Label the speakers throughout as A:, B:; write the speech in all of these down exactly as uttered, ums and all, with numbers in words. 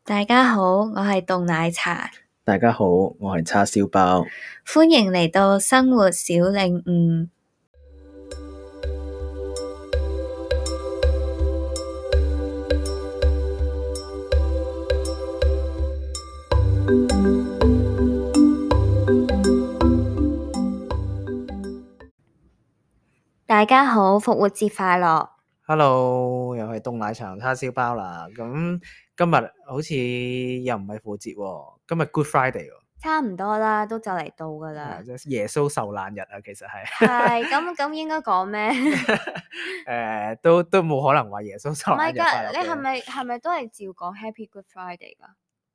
A: 大家好，我係凍奶茶。
B: 大家好，我係叉燒包。
A: 歡迎嚟到生活小領悟。大家好，復活節快樂。
B: Hello，又係凍奶茶叉燒包啦。咁今日好似又唔係復活節喎，今日 Good Friday 喎。
A: 差唔多啦，都就嚟到噶啦。
B: 即係耶穌受難日啊，其實係。
A: 係咁咁應該講咩？
B: 誒，都都冇可能話耶穌受
A: 唔係
B: 難日快樂
A: 㗎，你係
B: 嘅。
A: 咪係咪都係照講 Happy Good Friday 㗎？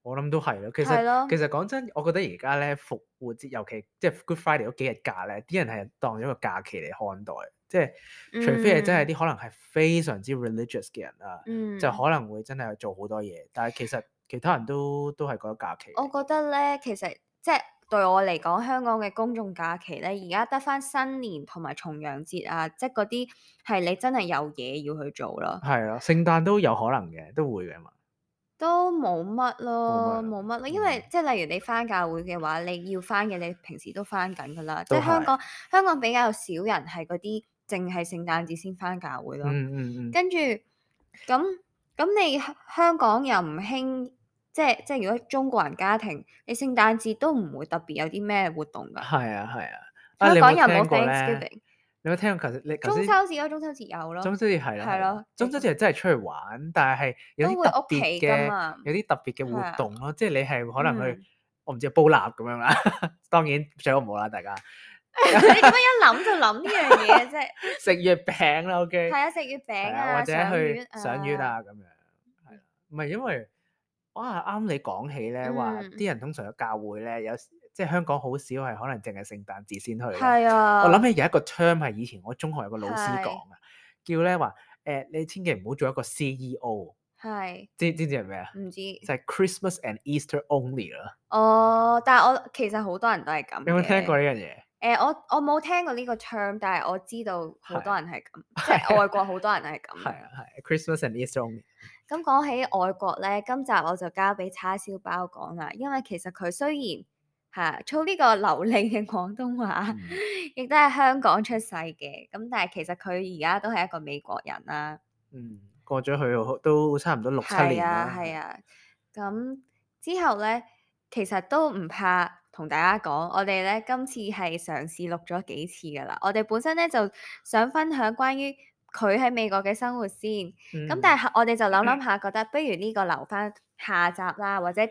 B: 我諗都係咯。其
A: 係咯
B: 實其實講真，我覺得而家咧復活節，尤其即係 Good Friday 嗰幾日假咧，啲人係當咗個假期嚟看待。即係除非係真係啲可能係非常之 religious 嘅人啊，
A: 嗯，
B: 就可能會真係做好多嘢。但係其實其他人都都係覺得假期。
A: 我覺得咧，其實即係對我嚟講，香港嘅公眾假期咧，而家得返新年同埋重陽節啊，即係嗰啲係你真係有嘢要去做咯。
B: 係啊，聖誕都有可能嘅，都會嘅嘛。
A: 都冇乜咯，
B: 冇乜
A: 冇乜咯，
B: 嗯
A: 因為即係例如你返教會嘅話，你要返嘅你平時都返緊㗎啦。即
B: 都係
A: 係香港香港比較少人係嗰啲淨係聖誕節先返教會咯。
B: 嗯嗯嗯，
A: 跟住咁咁你香香港又唔興，即係即係如果中國人家庭，你聖誕節都唔會特別有啲咩活動㗎。
B: 係啊係啊。啊，你有冇
A: 香港又冇
B: 聽過咧？
A: Thanksgiving，
B: 你有冇聽過？頭先你頭
A: 中
B: 先
A: 秋節咯，中秋節有咯，
B: 中秋節係啦，
A: 係咯，
B: 中秋節係真係出去玩，但係係有
A: 都會
B: 啲特
A: 屋企㗎
B: 別嘅
A: 嘛，
B: 有啲特別嘅
A: 係啊
B: 活動咯。即係你係可能去
A: 嗯
B: 我唔知煲蠟咁樣啦。當然最好唔好啦，大家
A: 你點解一諗就諗呢樣嘢啫？
B: 食月餅啦，OK。
A: 係啊，食月餅
B: 係
A: 啊，
B: 或者
A: 賞
B: 去
A: 月
B: 賞月啊咁樣。係啦，唔係因為哇啱你講起咧，話
A: 嗯
B: 啲人通常去教會咧，有時即係香港好少係可能淨係聖誕節先去咧。
A: 係啊，
B: 我諗起有一個 term 係以前我中學有個老師
A: 係
B: 講啊，叫咧話誒你千祈唔好做一個 C E O，
A: 係
B: 知知唔知係咩啊？
A: 唔知
B: 就係 Christmas and Easter only 啦。
A: 哦，但係我其實好多人都係咁
B: 你有冇聽過
A: 嘅。
B: 呢樣嘢？
A: 誒，我我冇聽過呢個 term，但係我知道好多人係咁，即
B: 係
A: 係外國好多人係咁。
B: 係啊係 Christmas and Easter only。
A: 咁講起外國咧，今集我就交俾叉燒包講啦，因為其實佢雖然係操呢個流利嘅廣東話，
B: 嗯
A: 亦都係香港出世嘅，咁但係其實佢而家都係一個美國人啦。
B: 嗯，過咗去都差唔多六七
A: 係
B: 年啦。
A: 啊係啊，咁之後咧，其實都唔怕同大家講，我哋咧今次係嘗試錄咗幾次噶啦。我哋本身咧就想分享關於佢喺美國嘅生活先，咁、
B: 嗯
A: 但係我哋就諗諗下，覺得不如呢個留翻下集啦，或者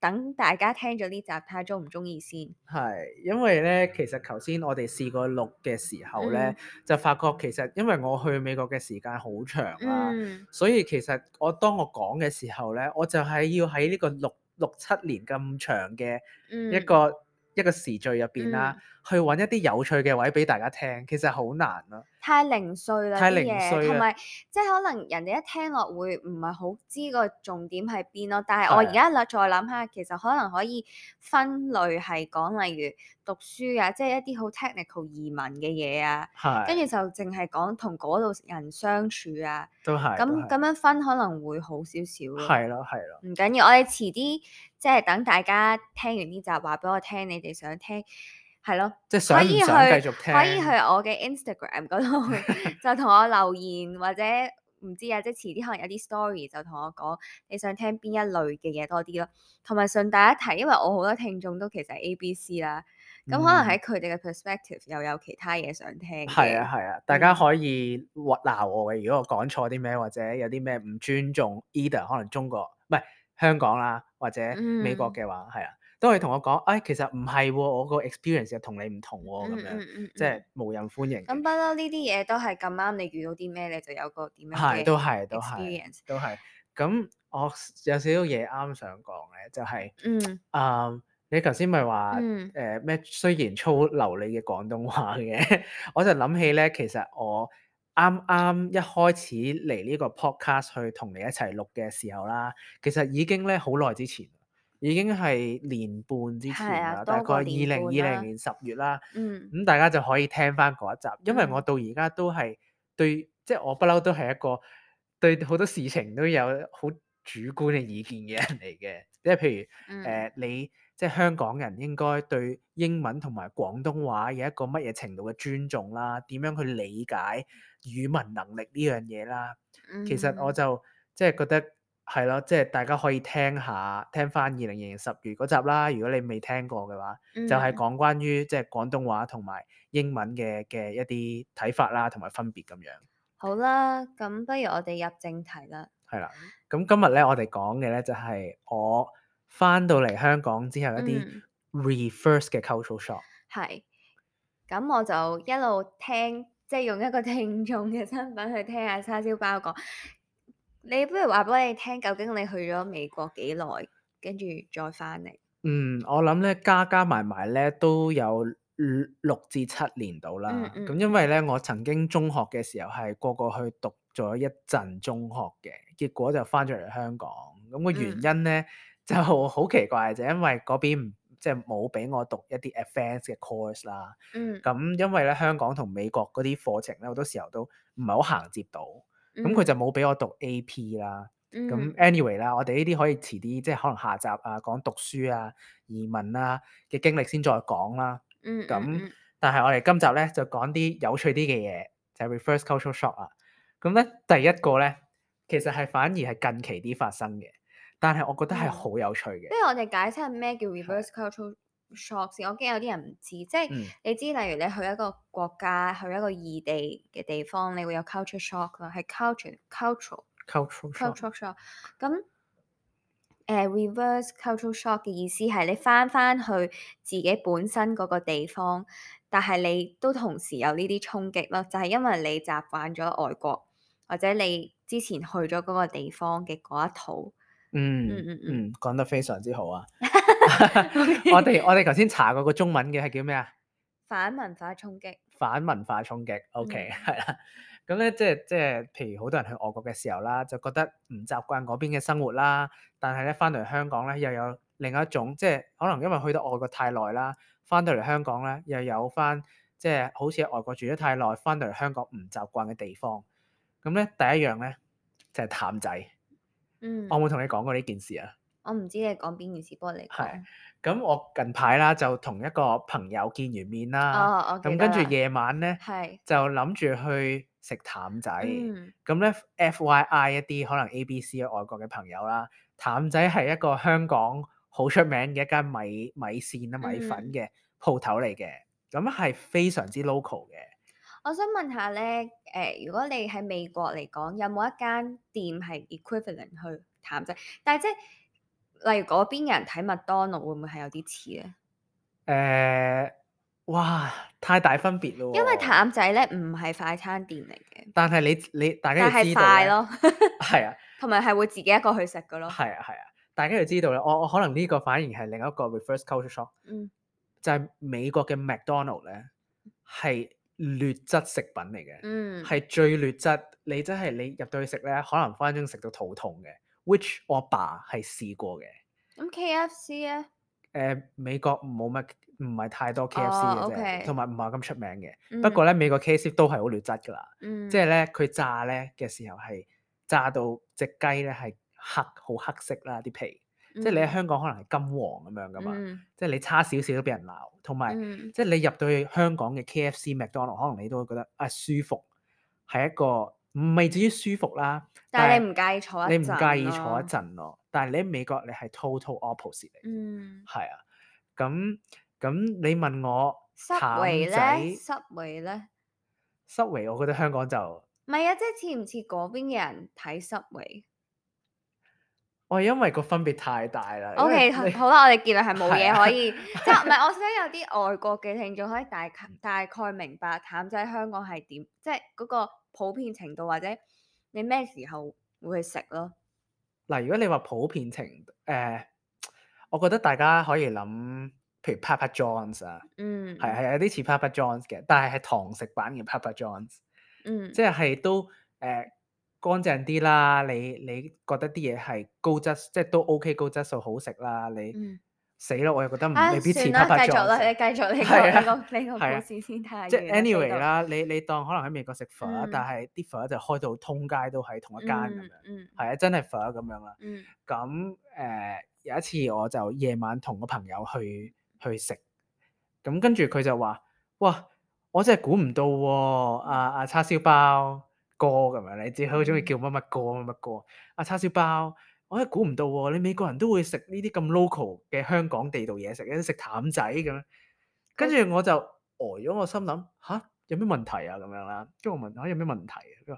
A: 等大家聽咗呢集睇下中唔中意先。
B: 係，因為咧，其實頭先我哋試過錄嘅時候咧，
A: 嗯
B: 就發覺其實因為我去美國嘅時間好長啦，
A: 嗯
B: 所以其實我當我講嘅時候咧，我就係要喺呢個六六七年咁長嘅
A: 嗯
B: 一個、一個時序入邊啦，
A: 嗯
B: 去揾一啲有趣嘅位俾大家聽，其實好難咯。
A: 太零碎啦
B: 太
A: 啲嘢，
B: 零碎啦
A: 同埋即係可能人哋一聽落會唔係好知個重點喺邊咯。但係
B: 係啊
A: 我而家諗再諗下，其實可能可以分類係講，例如讀書啊，即係一啲好 technical 移民嘅嘢啊，
B: 係，
A: 跟住就淨係講同嗰度人相處啊。
B: 都係，都係
A: 咁咁樣分可能會好少少咯。
B: 係咯，係咯，
A: 唔緊要，我哋遲啲即係等大家聽完呢集話俾我聽，你哋想聽係咯。
B: 即係想唔
A: 可以去
B: 想繼續聽？
A: 可以去我嘅 Instagram 嗰度就同我留言，或者唔知啊，即係遲啲可能有啲 story 就同我講你想聽邊一類嘅嘢多啲咯。同埋順帶一提，因為我好多聽眾都其實係 A B C 啦，咁、可能喺佢哋嘅 perspective 又有其他嘢想聽嘅。
B: 係啊係啊，大家可以鬧我嘅，如果我講錯啲咩，或者有啲咩唔尊重 either 可能中國唔係香港啦，或者美國嘅話，係啊、都可以同我講，哎，其實唔係喎，我個 experience 又同你唔同喎，咁、
A: 嗯
B: 樣、
A: 嗯嗯
B: 即係無人歡迎嘅。
A: 咁不嬲呢啲嘢都係咁啱，你遇到啲咩你就有個點樣
B: 係都
A: 嘅
B: 係都係
A: experience。
B: 都係。咁我有少少嘢啱想講嘅，就係、
A: 嗯
B: 啊、你頭先咪話
A: 嗯
B: 誒咩？雖然粗流利嘅廣東話嘅，我就諗起咧，其實我啱啱一開始嚟呢個 podcast 去同你一齊錄嘅時候啦，其實已經咧好耐之前，已經係年半之前
A: 係啊
B: 啦，大概
A: 多過
B: 二零
A: 年半啦
B: 二零年十月啦。
A: 嗯
B: 咁大家就可以聽翻嗰一集，因為
A: 嗯
B: 我到而家都係對，即係我不嬲都係一個對好多事情都有好主觀嘅意見嘅人嚟嘅，即係譬如誒、
A: 嗯
B: 呃、你即係香港人應該對英文同埋廣東話有一個乜嘢程度嘅尊重啦，點樣去理解語文能力呢樣嘢啦。其實我
A: 嗯
B: 就即係覺得係咯，即係大家可以聽下聽翻二零二零十月嗰集啦。如果你未聽過嘅話，就係
A: 嗯，
B: 講關於即係廣東話同埋英文嘅嘅一啲睇法啦，同埋分別咁樣。
A: 好啦，咁不如我哋入正題啦。
B: 係啦，咁今日咧我哋講嘅咧就係我翻到嚟香港之後一啲
A: 嗯，
B: reverse 嘅 cultural shock。
A: 係。咁我就一路聽，即係用一個聽眾嘅身份去聽下叉燒包講。你不如話俾我哋聽，究竟你去咗美國幾耐，跟住再翻嚟？
B: 嗯，我諗咧加加埋埋咧都有六六至七年到
A: 嗯
B: 啦。
A: 嗯
B: 咁因為咧我曾經中學嘅時候係過過去讀咗一陣中學嘅，結果就翻咗嚟香港。咁個原因咧就好奇怪，就因為嗰邊唔即係冇俾我讀一啲 advanced 嘅 course 啦。
A: 嗯
B: 咁因為咧香港同美國嗰啲課程咧好多時候都唔係好行接到，咁佢
A: 嗯
B: 就冇俾我讀 A P 啦。咁
A: 嗯
B: anyway 啦，我哋呢啲可以遲啲，即係可能下集啊講讀書啊、移民啊嘅經歷先再講啦。
A: 嗯
B: 咁、
A: 嗯嗯
B: 但係我哋今集咧就講啲有趣啲嘅嘢，就係、reverse cultural shock 啊。咁咧第一個咧，其實係反而係近期啲發生嘅，但係我覺得係
A: 嗯
B: 好有趣嘅
A: 不。如我哋解釋下咩叫 reverse cultural shock 先。我驚有啲人唔知，即係
B: 嗯
A: 你知，例如你去一個國家，去一個異地嘅地方，你會有 culture shock 啦，係 culture cultural
B: cultural shock。
A: cultural shock。咁誒、reverse cultural shock 嘅意思係你翻翻去自己本身嗰個地方，但係你都同時有呢啲衝擊咯，就係、因為你習慣咗外國，或者你之前去咗嗰個地方嘅嗰一套。
B: 嗯
A: 嗯嗯嗯
B: 嗯，講得非常之好啊！
A: OK
B: 我哋我哋頭先查過個中文嘅係叫咩啊？
A: 反文化衝擊。
B: 反文化衝擊，OK，
A: 嗯
B: 係啦。咁咧，即係即係，譬如好多人去外國嘅時候啦，就覺得唔習慣嗰邊嘅生活啦。但係咧，翻到嚟香港咧，又有另一種，即係可能因為去到外國太耐啦，翻到嚟香港咧，又有翻即係好似喺外國住咗太耐，翻到嚟香港唔習慣嘅地方。咁咧，第一樣咧就係淡仔。
A: 嗯，
B: 我有冇同你講過呢件事啊？
A: 我唔知你講邊件事，不過你
B: 係
A: 講。
B: 咁，我近排啦就同一個朋友見完面啦。
A: 哦，我記
B: 咁
A: 得啦
B: 跟住夜晚咧
A: 係。
B: 就諗住去食淡仔。
A: 嗯
B: 咁咧 F Y I 一啲可能 A B C 嘅外國嘅朋友啦，淡仔係一個香港好出名嘅一間米米線啊米粉
A: 嗯
B: 嘅鋪頭嚟嘅，咁係非常之 local 嘅。
A: 我想問下咧，誒、如果你喺美國嚟講，有冇一間店係 equivalent 去淡仔？但係即係例如嗰邊人睇麥當勞，會唔會係有啲似咧？
B: 誒、哇，太大分別咯喎！
A: 因為淡仔咧唔係快餐店嚟嘅，
B: 但係你你大家
A: 但係
B: 要知道咧，
A: 快咯，
B: 係啊。
A: 同埋係會自己一個去食嘅咯。
B: 係啊係啊，大家要知道咧，我我可能呢個反而係另一個 reverse culture shock，
A: 嗯
B: 就係美國嘅 McDonald 咧係劣質食品嚟嘅，
A: 嗯
B: 係、最劣質。你真係你入到去食咧，可能分分鐘食到肚痛嘅。which 我阿爸係試過嘅。
A: 咁 K F C 咧？
B: 誒、美國冇乜唔係太多 K F C
A: 哦
B: 嘅啫，
A: ，OK
B: 同埋唔係咁出名嘅。
A: 嗯
B: 不過咧，美國 K F C 都係好劣質㗎啦。
A: 嗯
B: 即係咧，佢炸咧嘅時候係炸到隻雞咧係黑好黑色啦啲皮，即係你喺香港可能係金黃咁樣噶嘛，
A: 嗯
B: 即係你差少少都俾人鬧，同埋、
A: 嗯
B: 即係你入到去香港嘅 K F C、麥當勞，可能你都會覺得啊舒服，係一個唔係至於舒服啦，
A: 但係你唔介意坐一陣
B: 你唔介意坐一
A: 咯
B: 陣咯，但係你喺美國你係 total opposite 嚟，
A: 嗯
B: 係啊，咁咁你問我淡
A: ，Subway
B: 仔
A: 咧，Subway 咧，
B: Subway，我覺得香港就
A: 唔係啊，即係似唔似嗰邊嘅人睇 Subway？
B: 我係因為個分別太大啦。因
A: O
B: 為
A: K，
B: 你
A: 好啦，我哋結論係冇
B: 係啊
A: 嘢可以，即係唔係？我想有啲外國嘅聽眾可以大概大概明白淡仔香港係點，即係嗰個普遍程度，或者你咩時候會去食咯？
B: 嗱，如果你話普遍程誒、我覺得大家可以諗，譬如 Papa John's 啊，
A: 嗯，
B: 係係有啲似 Papa John's 嘅，但係係堂食版嘅 Papa John's，
A: 嗯，
B: 即係係都誒、乾淨啲啦。你你覺得啲嘢係高質，即係都 OK 高質素好食啦。你
A: 嗯
B: 死啦！我又覺得唔
A: 啊，
B: 未必似
A: 算啦，
B: 啪啪
A: 繼續啦，
B: 撞。
A: 你繼續你個
B: 係
A: 你個
B: 啊，
A: 你個故
B: 係啊，
A: 事先太
B: 即係
A: 遠啦，飛
B: anyway
A: 到。
B: 啦，你你當可能喺美國食粉，但
A: 嗯
B: 係啲粉就開到通街都係同一間咁樣，
A: 嗯嗯
B: 係啊，真係粉咁樣啦。
A: 嗯
B: 咁誒、呃有一次我就夜晚同個朋友去去食，咁跟住佢就話：哇！我真係估唔到喎、阿阿叉燒包哥咁樣，你知佢好中意叫乜乜哥乜乜哥。阿叉燒包，我真係估唔到喎、你美國人都會食呢啲咁 local 嘅香港地道嘢食，有啲食淡仔咁樣。跟
A: 佢
B: 住我就呆咗，我心諗吓，有咩問題啊咁樣啦。跟住我問吓有咩問題啊？佢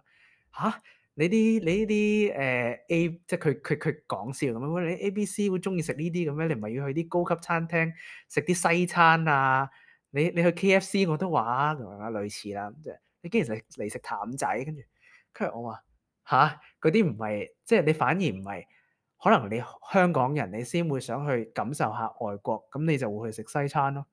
B: 話吓，你啲你呢啲誒 A 即係佢佢佢講笑咁樣，喂你 A B C 會中意食呢啲咁咩？你唔係要去啲高級餐廳食啲西餐啊？你你去 K F C 我都話啊咁樣啦，類似啦，即係你竟然嚟嚟食淡仔，跟住跟住我話吓，嗰啲唔係即係你反而唔係，可能你香港人你先會想去感受下外國，咁你就會去食西餐咯。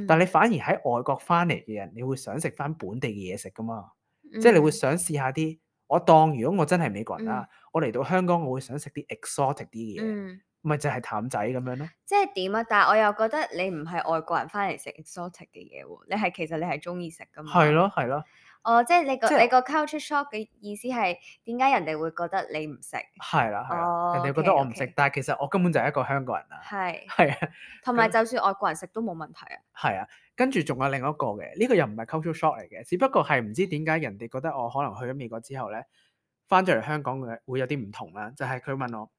B: 但係你
A: 嗯
B: 反而喺外國翻嚟嘅人，你會想食翻本地嘅嘢食噶嘛？即係你會
A: 嗯
B: 想試下啲，我當如果我真係美國人
A: 嗯
B: 啦，我嚟到香港，我會想食啲 exotic 啲嘅嘢，
A: 嗯，
B: 咪就係淡仔咁樣咯。
A: 即係點啊？但係我又覺得你唔係外國人翻嚟食 exotic 嘅嘢喎，你係其實你係中意食噶嘛？
B: 係咯係咯，
A: 哦，即係你個
B: 即係
A: 你個 culture shock 嘅意思係點解人哋會覺得你唔食？
B: 係啦係啦，人
A: 哦
B: 哋覺得我唔食，
A: ，OK，OK，
B: 但係其實我根本就係一個香港人啦。
A: 係，
B: 係啊，
A: 同埋
B: 咁
A: 就算外國人食都冇問題啊。
B: 係啊，跟住仲有另一個嘅，呢個又唔係 culture shock 嚟嘅，只不過係唔知點解人哋覺得我可能去咗美國之後咧，翻咗嚟香港嘅會有啲唔同啦。就係佢問我，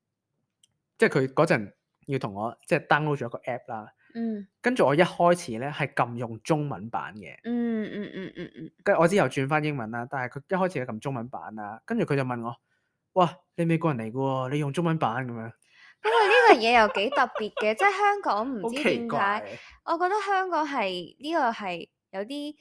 B: 即係佢嗰陣要同我即係 download 咗一個 app 啦，
A: 嗯
B: 跟住我一開始咧係撳用中文版嘅，
A: 嗯嗯嗯嗯嗯，
B: 跟住我之後轉翻英文啦，但係佢一開始係撳中文版啦，跟住佢就問我：哇，你美國人嚟嘅喎，你用中文版咁樣？
A: 不過呢個嘢又幾特別嘅，即係香港唔
B: 好奇
A: 知點解，
B: 怪，
A: 我覺得香港係呢個係有啲，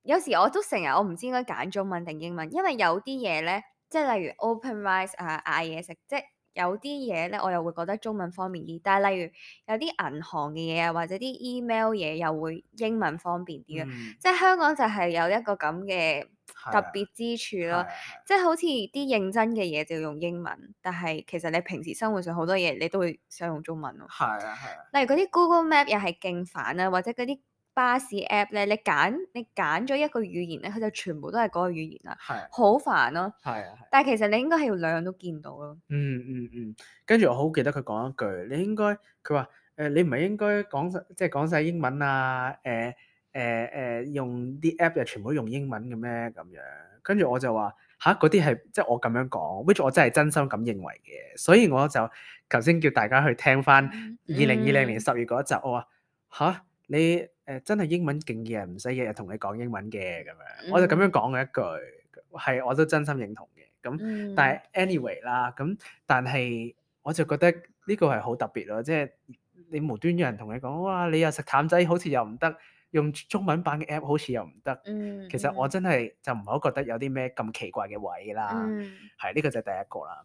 A: 有時我都成日我唔知應該揀中文定英文，因為有啲嘢咧，即係例如 open rice 啊嗌嘢食，即係有啲嘢咧我又會覺得中文方便啲，但係例如有啲銀行嘅嘢啊或者啲 email 嘢又會英文方便啲咯，
B: 嗯，
A: 即係香港就係有一個咁嘅特
B: 係啊，
A: 別之處咯。
B: 係啊，
A: 即係好似啲認真嘅嘢就要用英文，但係其實你平時生活上好多嘢你都會想用中文咯。
B: 係啊，係啊，
A: 例如嗰啲 Google Map 又係勁煩啊，或者嗰啲巴士 app 咧，你揀你揀咗一個語言咧，佢就全部都係嗰個語言啦，
B: 係啊，
A: 好煩咯。
B: 係啊，係啊。
A: 但係其實你應該係要兩樣都見到咯。
B: 嗯嗯嗯，跟住我好記得佢講一句，你應該佢話誒你唔係應該講晒即係講晒英文啊？誒誒誒用啲 app 又全部都用英文嘅咩咁樣？跟住我就話吓，嗰啲係即係我咁樣講，which 我真係真心咁認為嘅，所以我就頭先叫大家去聽翻二零二零年十月嗰一集，我話吓，你誒、呃、真係英文勁嘅人唔使日日同你講英文嘅咁樣，我就咁樣講嘅一句，係我都真心認同嘅。咁，
A: 嗯，
B: 但係 anyway 啦，咁但係我就覺得呢個係好特別咯，即係你無端有人同你講，哇！你又食淡仔，好似又唔得，用中文版嘅 app 好似又唔得。
A: 嗯，
B: 其實我真係就唔係好覺得有啲咩咁奇怪嘅位啦。
A: 嗯
B: 係呢個就係第一個啦。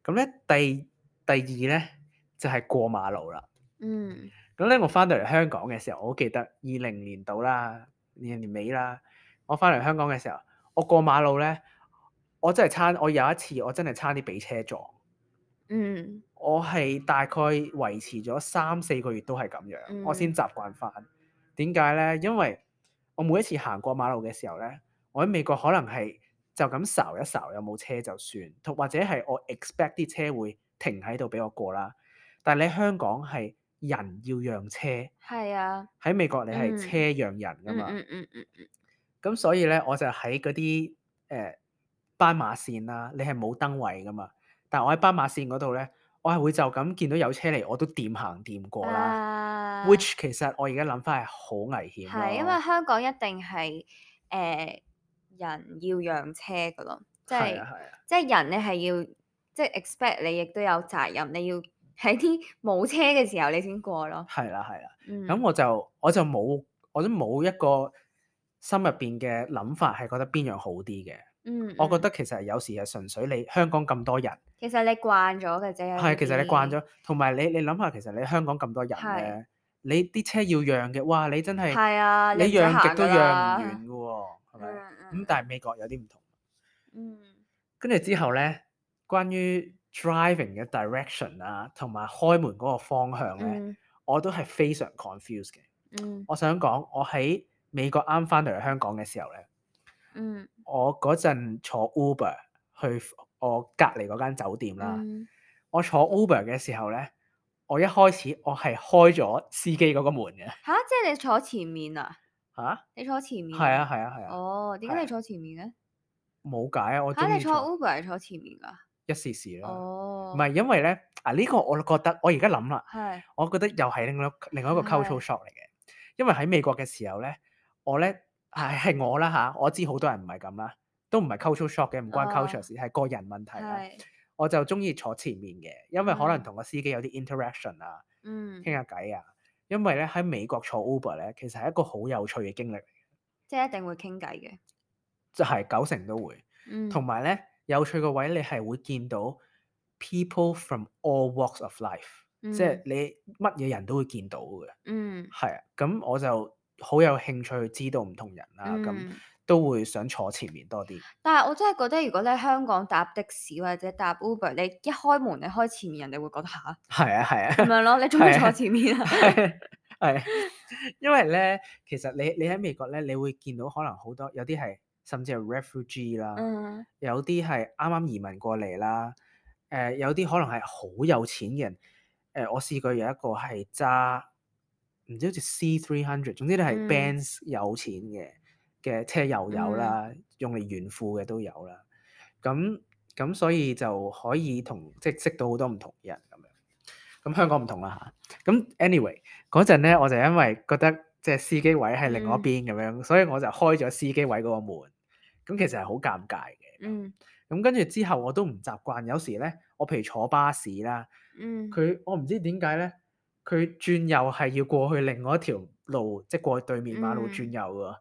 B: 咁咧第第二咧就係過馬路啦。
A: 嗯
B: 咁咧我翻到嚟香港嘅時候，我好記得二零年度啦，二零年尾啦，我翻嚟香港嘅時候，我過馬路咧。我真係差，我有一次我真係差啲俾車撞。
A: 嗯
B: 我係大概維持咗三四個月都係咁樣，
A: 嗯
B: 我先習慣翻。點解咧？因為我每一次行過馬路嘅時候咧，我喺美國可能係就咁睄一睄有冇車就算，同或者係我 expect 啲車會停喺度俾我過啦。但係你喺香港係人要讓車，
A: 係啊，
B: 喺美國你係
A: 嗯
B: 車讓人噶嘛。
A: 嗯嗯嗯嗯嗯
B: 咁所以咧，我就喺嗰啲誒斑馬線啦，你係冇燈位噶嘛。但係我喺斑馬線嗰度咧，我係會就咁見到有車嚟，我都掂行掂過啦。
A: 啊
B: which 其實我而家諗翻係好危險
A: 係，因為
B: 咯。
A: 香港一定係誒、呃人要讓車噶咯，即係
B: 係啊係啊，
A: 即係人你係要即係 expect 你亦都有責任，你要喺啲冇車嘅時候你先過咯。
B: 係啦係啦。
A: 嗯，
B: 咁我就我就冇我都冇一個心入邊嘅諗法係覺得邊樣好啲嘅。
A: 嗯，
B: 我覺
A: 嗯
B: 得其實有時係純粹你香港咁多人。
A: 其實你慣咗嘅啫。有
B: 係，其實你慣
A: 啲
B: 咗，同埋你你諗下，其實你香港咁多人
A: 係
B: 咧，你啲車要讓嘅，哇！你真係
A: 係啊，
B: 你
A: 唔使行㗎
B: 讓極都讓唔
A: 啦
B: 完嘅喎，係咪？
A: 嗯
B: 咁
A: 嗯
B: 但係美國有啲唔同。
A: 嗯
B: 跟住之後咧，關於 driving 嘅 direction 啊，同埋開門嗰個方向咧，
A: 嗯
B: 我都係非常 confused 嘅。
A: 嗯
B: 我想講，我喺美國啱翻到嚟香港嘅時候咧，
A: 嗯
B: 我嗰陣坐 Uber 去我隔離嗰間酒店啦。
A: 嗯
B: 我坐 Uber 嘅時候咧，我一開始我係開咗司機嗰個門嘅。
A: 吓，即係你坐前面啊？
B: 嚇？
A: 你坐前面
B: 係啊
A: 啊？
B: 係啊係啊，
A: 哦，點解
B: 係啊
A: 你坐前面嘅？
B: 冇解啊！我
A: 吓，你坐
B: 中意坐
A: Uber 係坐前面㗎？
B: 一時時啦。唔
A: 哦，
B: 係因為咧啊，呢個我覺得我而家諗啦，
A: 係
B: 我覺得又係另外另外一個 cultural
A: 係
B: shock 嚟嘅。因為喺美國嘅時候咧，我咧係係我啦嚇，我知好多人唔係咁啦，都唔係 cultural shock 嘅，唔關 culture
A: 哦，
B: 事，係個人問題啦。
A: 係
B: 我就中意坐前面嘅，因為可能
A: 嗯
B: 同個司機有啲 interaction 啊，
A: 嗯，
B: 傾下偈啊。因為咧喺美國坐 Uber 咧，其實係一個好有趣嘅經歷嚟嘅，
A: 即係一定會傾偈嘅。
B: 就係九成都會。同
A: 嗯
B: 埋咧有趣個位，你係會見到 people from all walks of life，即係
A: 嗯
B: 你乜嘢人都會見到嘅。
A: 嗯
B: 係啊，咁我就好有興趣去知道唔同人啦，咁、
A: 嗯。
B: 都會想坐前面多啲。
A: 但係我真係覺得，如果你喺香港搭的士或者搭 Uber，你一開門你開前面，人哋會覺得吓
B: 係啊係啊，
A: 咁樣咯。你做咩
B: 係啊
A: 坐前面啊？
B: 係係，因為咧，其實你你喺美國咧，你會見到可能好多有啲係甚至係 refugee 啦，
A: 嗯
B: 有啲係啱啱移民過嚟啦，誒、有啲可能係好有錢嘅人，誒、我試過有一個係揸唔知好似 C three hundred，總之你係
A: 嗯
B: Benz 有錢嘅嘅車又有
A: 嗯
B: 啦，用嚟炫富嘅都有啦，咁咁所以就可以同即係識到好多唔同嘅人咁樣。咁香港唔同啦嚇，咁 anyway 嗰陣咧，我就因為覺得即係司機位係另外一
A: 嗯
B: 邊咁樣，所以我就開咗司機位嗰個門。咁其實係好尷尬嘅。
A: 嗯
B: 咁跟住之後我都唔習慣，有時咧我譬如坐巴士啦，
A: 嗯
B: 佢我唔知點解咧，佢轉右係要過去另外一條路，即係過去對面馬路
A: 嗯
B: 轉右喎。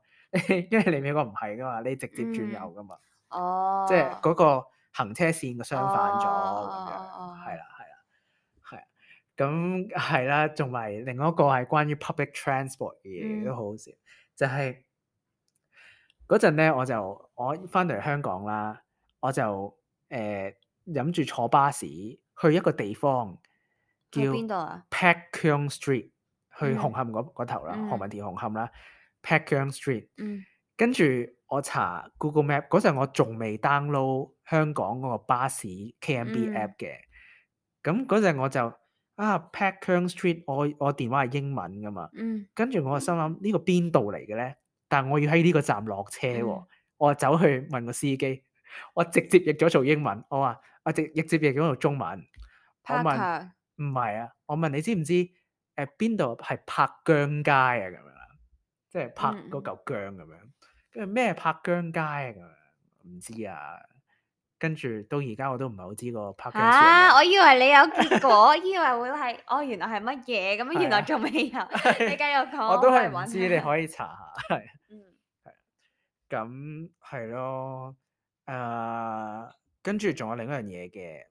B: 因為你美國唔係噶嘛，你直接轉右
A: 嗯
B: 噶嘛，
A: 哦，
B: 即係嗰個行車線嘅相反咗
A: 哦
B: 咁樣，
A: 哦哦
B: 係啦係啦係啊。咁係啦，同埋另外一個係關於 public transport 嘅嘢
A: 嗯
B: 都好好笑，就係嗰陣咧，我就我翻到嚟香港啦，我就誒諗住坐巴士去一個地方叫
A: 去邊度啊？
B: Pat Keung Street，去
A: 嗯
B: 紅磡嗰嗰頭啦，何
A: 嗯
B: 文田紅磡啦，Pat Keung Street。
A: 嗯
B: 跟住我查 Google Map 嗰陣，我仲未 download 香港嗰個巴士 K M B
A: 嗯
B: app 嘅。咁嗰陣我就啊 Pat Keung Street，我我電話係英文噶嘛，
A: 嗯
B: 跟住我就心諗呢個邊度嚟嘅咧？但係我要喺呢個站落車喎，
A: 嗯
B: 我就走去問個司機，我直接譯咗做英文，我話我直直接譯咗做中文，我問
A: ，Parker
B: 唔係啊，我問你知唔知誒邊度係柏姜街啊咁樣啦，即係柏
A: 嗯
B: 嗰嚿姜咁樣，跟住咩柏姜街啊咁樣，唔知啊，跟住到而家我都唔係好知個柏姜樹係
A: 嚇！
B: 咩
A: 我以為你有結果，以為會係哦，原來係乜嘢咁樣，
B: 係
A: 原來
B: 啊
A: 仲未有。你
B: 係
A: 繼續講，
B: 我都係
A: 係
B: 唔知，你可以查下，係
A: 嗯
B: 咁係咯，誒，跟住仲有另一樣嘢嘅，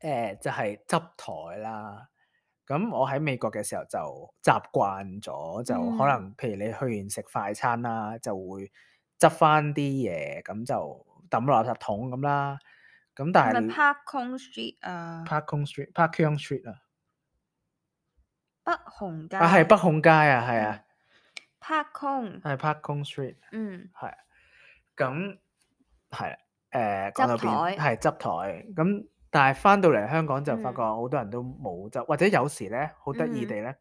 B: 誒就係執台啦。咁我喺美國嘅時候就習慣咗，就可
A: 嗯
B: 能譬如你去完食快餐啦，就會執翻啲嘢，咁就抌落垃圾桶咁啦。咁但
A: 係咪
B: 係
A: Park Kong Street 啊？
B: Park Kong Street、Park Keung Street 啊，
A: 北紅街
B: 啊係北控街啊，係啊，
A: Park Kong，
B: 係 Park Kong Street，
A: 嗯
B: 係啊。咁係啦，誒
A: 執
B: 講到邊
A: 台
B: 係執台咁，但係翻到嚟香港就發
A: 嗯
B: 覺好多人都冇執，或者有時咧好得意地咧，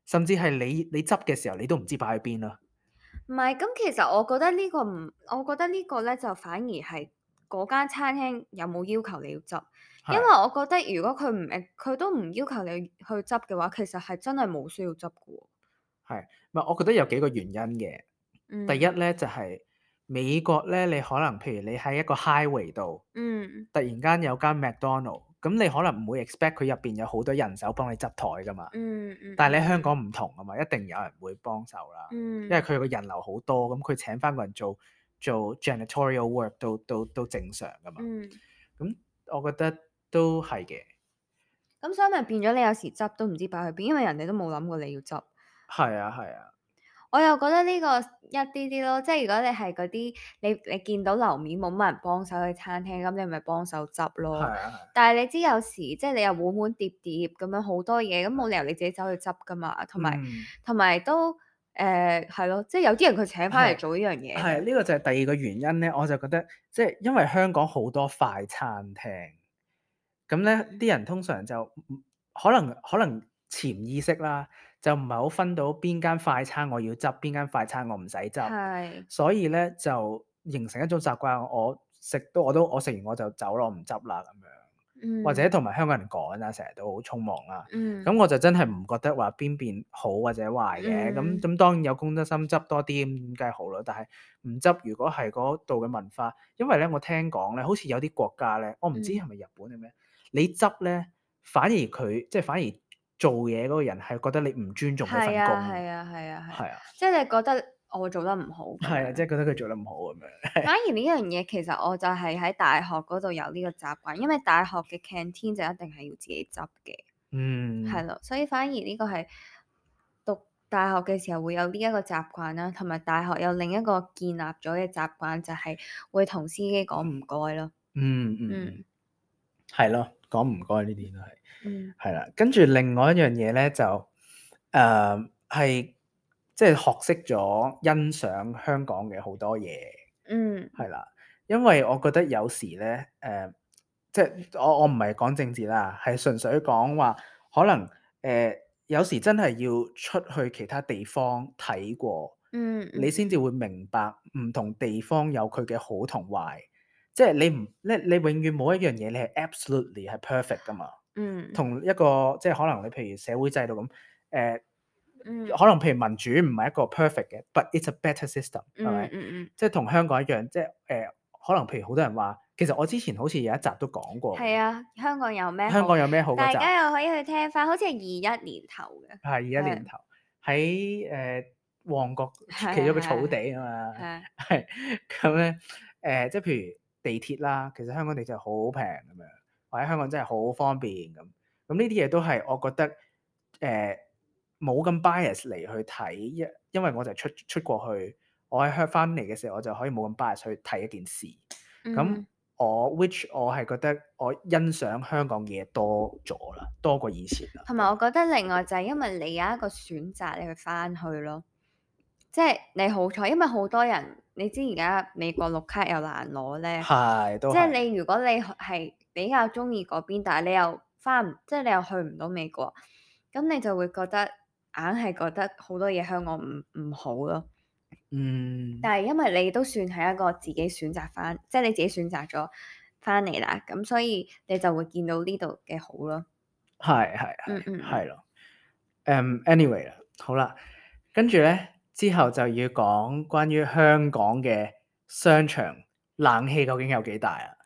B: 甚至係你你執嘅時候，你都唔知擺喺邊啦。
A: 唔係，咁其實我覺得呢個唔，我覺得呢個咧就反而係嗰間餐廳有冇要求你要執，因為
B: 係
A: 我覺得如果佢唔誒佢都唔要求你去執嘅話，其實係真係冇需要執嘅喎。
B: 係，唔係我覺得有幾個原因嘅。
A: 嗯，
B: 第一咧就係美國咧，你可能譬如你喺一個 highway 度，
A: 嗯
B: 突然間有間 McDonald，咁你可能唔會 expect 佢入邊有好多人手幫你執台噶嘛。
A: 嗯嗯，
B: 但係你喺香港唔同啊嘛，一定有人會幫手啦。
A: 嗯，
B: 因為佢個人流好多，咁佢請翻個人做做 janitorial work 都都都正常噶嘛。
A: 嗯，
B: 咁我覺得都係嘅。
A: 咁所以咪變咗你有時執都唔知擺去邊，因為人哋都冇諗過你要執。
B: 係啊係啊，
A: 我又覺得呢個一啲啲咯，即係如果你係嗰啲你你見到樓面冇乜人幫手去餐廳，咁你咪幫手執
B: 係
A: 咯。
B: 啊係啊。
A: 但係你知有時即係你又碗碗碟碟咁樣好多嘢，咁冇理由你自己走去執噶嘛。同埋
B: 嗯，
A: 同埋都誒係咯，即係有啲人佢請翻嚟
B: 係
A: 做呢樣嘢嘅。
B: 係呢個就係第二個原因咧，我就覺得即係因為香港好多快餐廳，咁咧啲人通常就唔可能可能潛意識啦，就唔係好分到邊間快餐我要執，邊間快餐我唔使執，
A: 係
B: 所以咧就形成一種習慣，我食都我都我食完我就走咯，我唔執啦咁樣。或者
A: 嗯
B: 同埋香港人趕啦，成日都好匆忙啦。
A: 嗯
B: 咁我就真係唔覺得話邊邊好或者壞嘅。咁
A: 嗯
B: 咁當然有公德心執多啲咁梗係好啦。但係唔執，如果係嗰度嘅文化，因為咧我聽講咧，好似有啲國家咧，我唔知
A: 嗯
B: 係咪日本定咩，你執咧反而佢即係反而做嘢嗰個人係覺得你唔尊重嗰份
A: 係啊
B: 工。
A: 係啊係啊係，
B: 係啊，
A: 即係你覺得我做得唔好咁
B: 係啊，即
A: 樣。
B: 係覺得佢做得唔好咁樣。
A: 反而呢樣嘢其實我就係喺大學嗰度有呢個習慣，因為大學嘅 canteen 就一定係要自己執嘅，
B: 嗯，
A: 係咯，所以反而呢個係讀大學嘅時候會有呢一個習慣啦，同埋大學有另一個建立咗嘅習慣就係會同司機講唔該咯。
B: 嗯嗯嗯，
A: 嗯
B: 係咯，講唔該呢啲都係。
A: 嗯
B: 係啦，跟住另外一樣嘢咧就誒係即係學識咗欣賞香港嘅好多嘢，
A: 嗯
B: 係啦，因為我覺得有時咧誒、呃即係我我唔係講政治啦，係純粹講話可能誒、呃有時真係要出去其他地方睇過，
A: 嗯
B: 你先至會明白唔同地方有佢嘅好同壞，即係你唔咧你永遠冇一樣嘢你係 absolutely 係 perfect 噶嘛。
A: 嗯
B: 同一個即係可能你譬如社會制度咁，誒、呃
A: 嗯
B: 可能譬如民主唔係一個 perfect 嘅，but it's a better system，係
A: 嗯
B: 咪？
A: 嗯嗯，
B: 即係同香港一樣，即係誒、呃可能譬如好多人話，其實我之前好似有一集都講過嘅，
A: 係啊，香港有咩好？
B: 香港有咩好嗰
A: 大
B: 集，
A: 家又可以去聽翻，好似係二一年頭嘅，
B: 係二一年頭喺誒旺角
A: 係
B: 企咗個
A: 係
B: 草地啊嘛，
A: 係
B: 係咁咧誒，即係譬如地鐵啦，其實香港地鐵好平咁樣，或者香港真係好方便咁。咁呢啲嘢都係我覺得誒冇咁 bias 嚟去睇，因因為我就出出過去，我喺香翻嚟嘅時候，我就可以冇咁 bias 去睇一件事。咁、
A: 嗯
B: 我 which 我係覺得我欣賞香港嘅嘢多咗啦，多過以前啦。
A: 同埋我覺得另外就係因為你有一個選擇，你去翻去咯，即係你好彩，因為好多人你知而家美國綠卡又難攞咧，
B: 係都
A: 即係
B: 係
A: 你如果你係比較中意嗰邊，但係你又翻唔，即係你又去唔到美國，咁你就會覺得硬係覺得好多嘢香港唔唔好咯。
B: 嗯
A: 但係因為你都算係一個自己選擇翻，即係你自己選擇咗翻嚟啦，咁所以你就會見到呢度嘅好咯。
B: 係係係
A: 嗯嗯
B: 係咯。誒 anyway 啦，好啦，跟住咧之後就要講關於香港嘅商場冷氣究竟有幾大啊？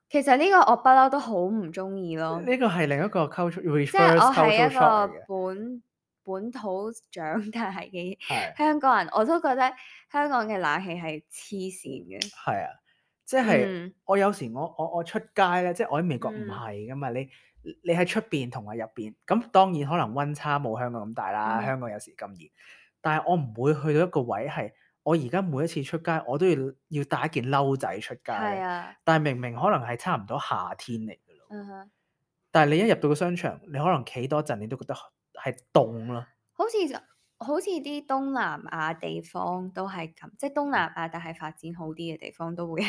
A: 其實呢個我不嬲都好唔中意咯，
B: 呢個係另一個 culture
A: 即係
B: reverse
A: 我係
B: cultural
A: 一
B: shock 嚟
A: 個
B: 嘅，
A: 本本土長大嘅
B: 係
A: 香港人，我都覺得香港嘅冷氣係黐線嘅。
B: 係啊，即係
A: 嗯
B: 我有時我我我出街咧，即係我喺美國唔
A: 嗯
B: 係噶嘛，你你喺出邊同埋入邊，咁當然可能溫差冇香港咁大啦，
A: 嗯
B: 香港有時咁熱，但係我唔會去到一個位係我而家每一次出街我都要要帶一件褸仔出街
A: 係
B: 嘅，
A: 啊，
B: 但係明明可能係差唔多夏天嚟嘅咯，
A: 嗯哼，
B: 但係你一入到個商場，你可能企多陣，你都覺得係凍咯，
A: 好似就好似啲東南亞地方都係咁，即係東南亞但係發展好啲嘅地方都會。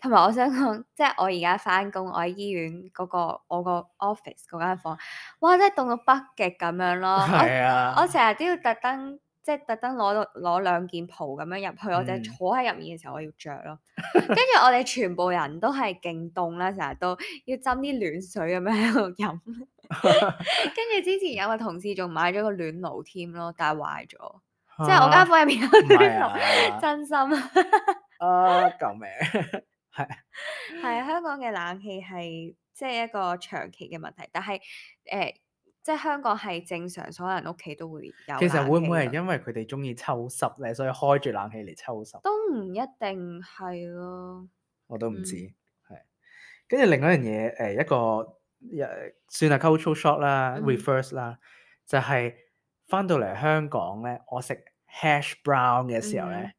A: 同埋我想講，即係我而家翻工，我喺醫院嗰、個我個 office 嗰間房，哇！真係凍到北極咁樣咯。
B: 係啊
A: 我我成日都要特登，即係特登攞到攞兩件袍咁樣入去，我就係
B: 嗯
A: 坐喺入面嘅時候我要着咯。跟住我哋全部人都係勁凍啦，成日都要斟啲暖水咁樣喺度飲。跟住之前有個同事仲買咗個暖爐添咯，但係壞咗，即係我間房入面有
B: 唔係
A: 暖爐，
B: 啊，
A: 真心
B: 啊救命，係。
A: 係啊香港嘅冷氣係即係一個長期嘅問題，但係誒、呃即係香港係正常，所有人屋企都會有
B: 其實會唔會係
A: 冷氣咯
B: 因為佢哋中意抽濕咧，所以開住冷氣嚟抽濕？
A: 都唔一定係咯，
B: 我都唔知，
A: 嗯
B: 係。跟住另外一樣嘢，誒、一個誒算係 cultural shock 啦、
A: 嗯
B: reverse 啦，就係、翻到嚟香港咧，我食 hash brown 嘅時候咧，
A: 嗯，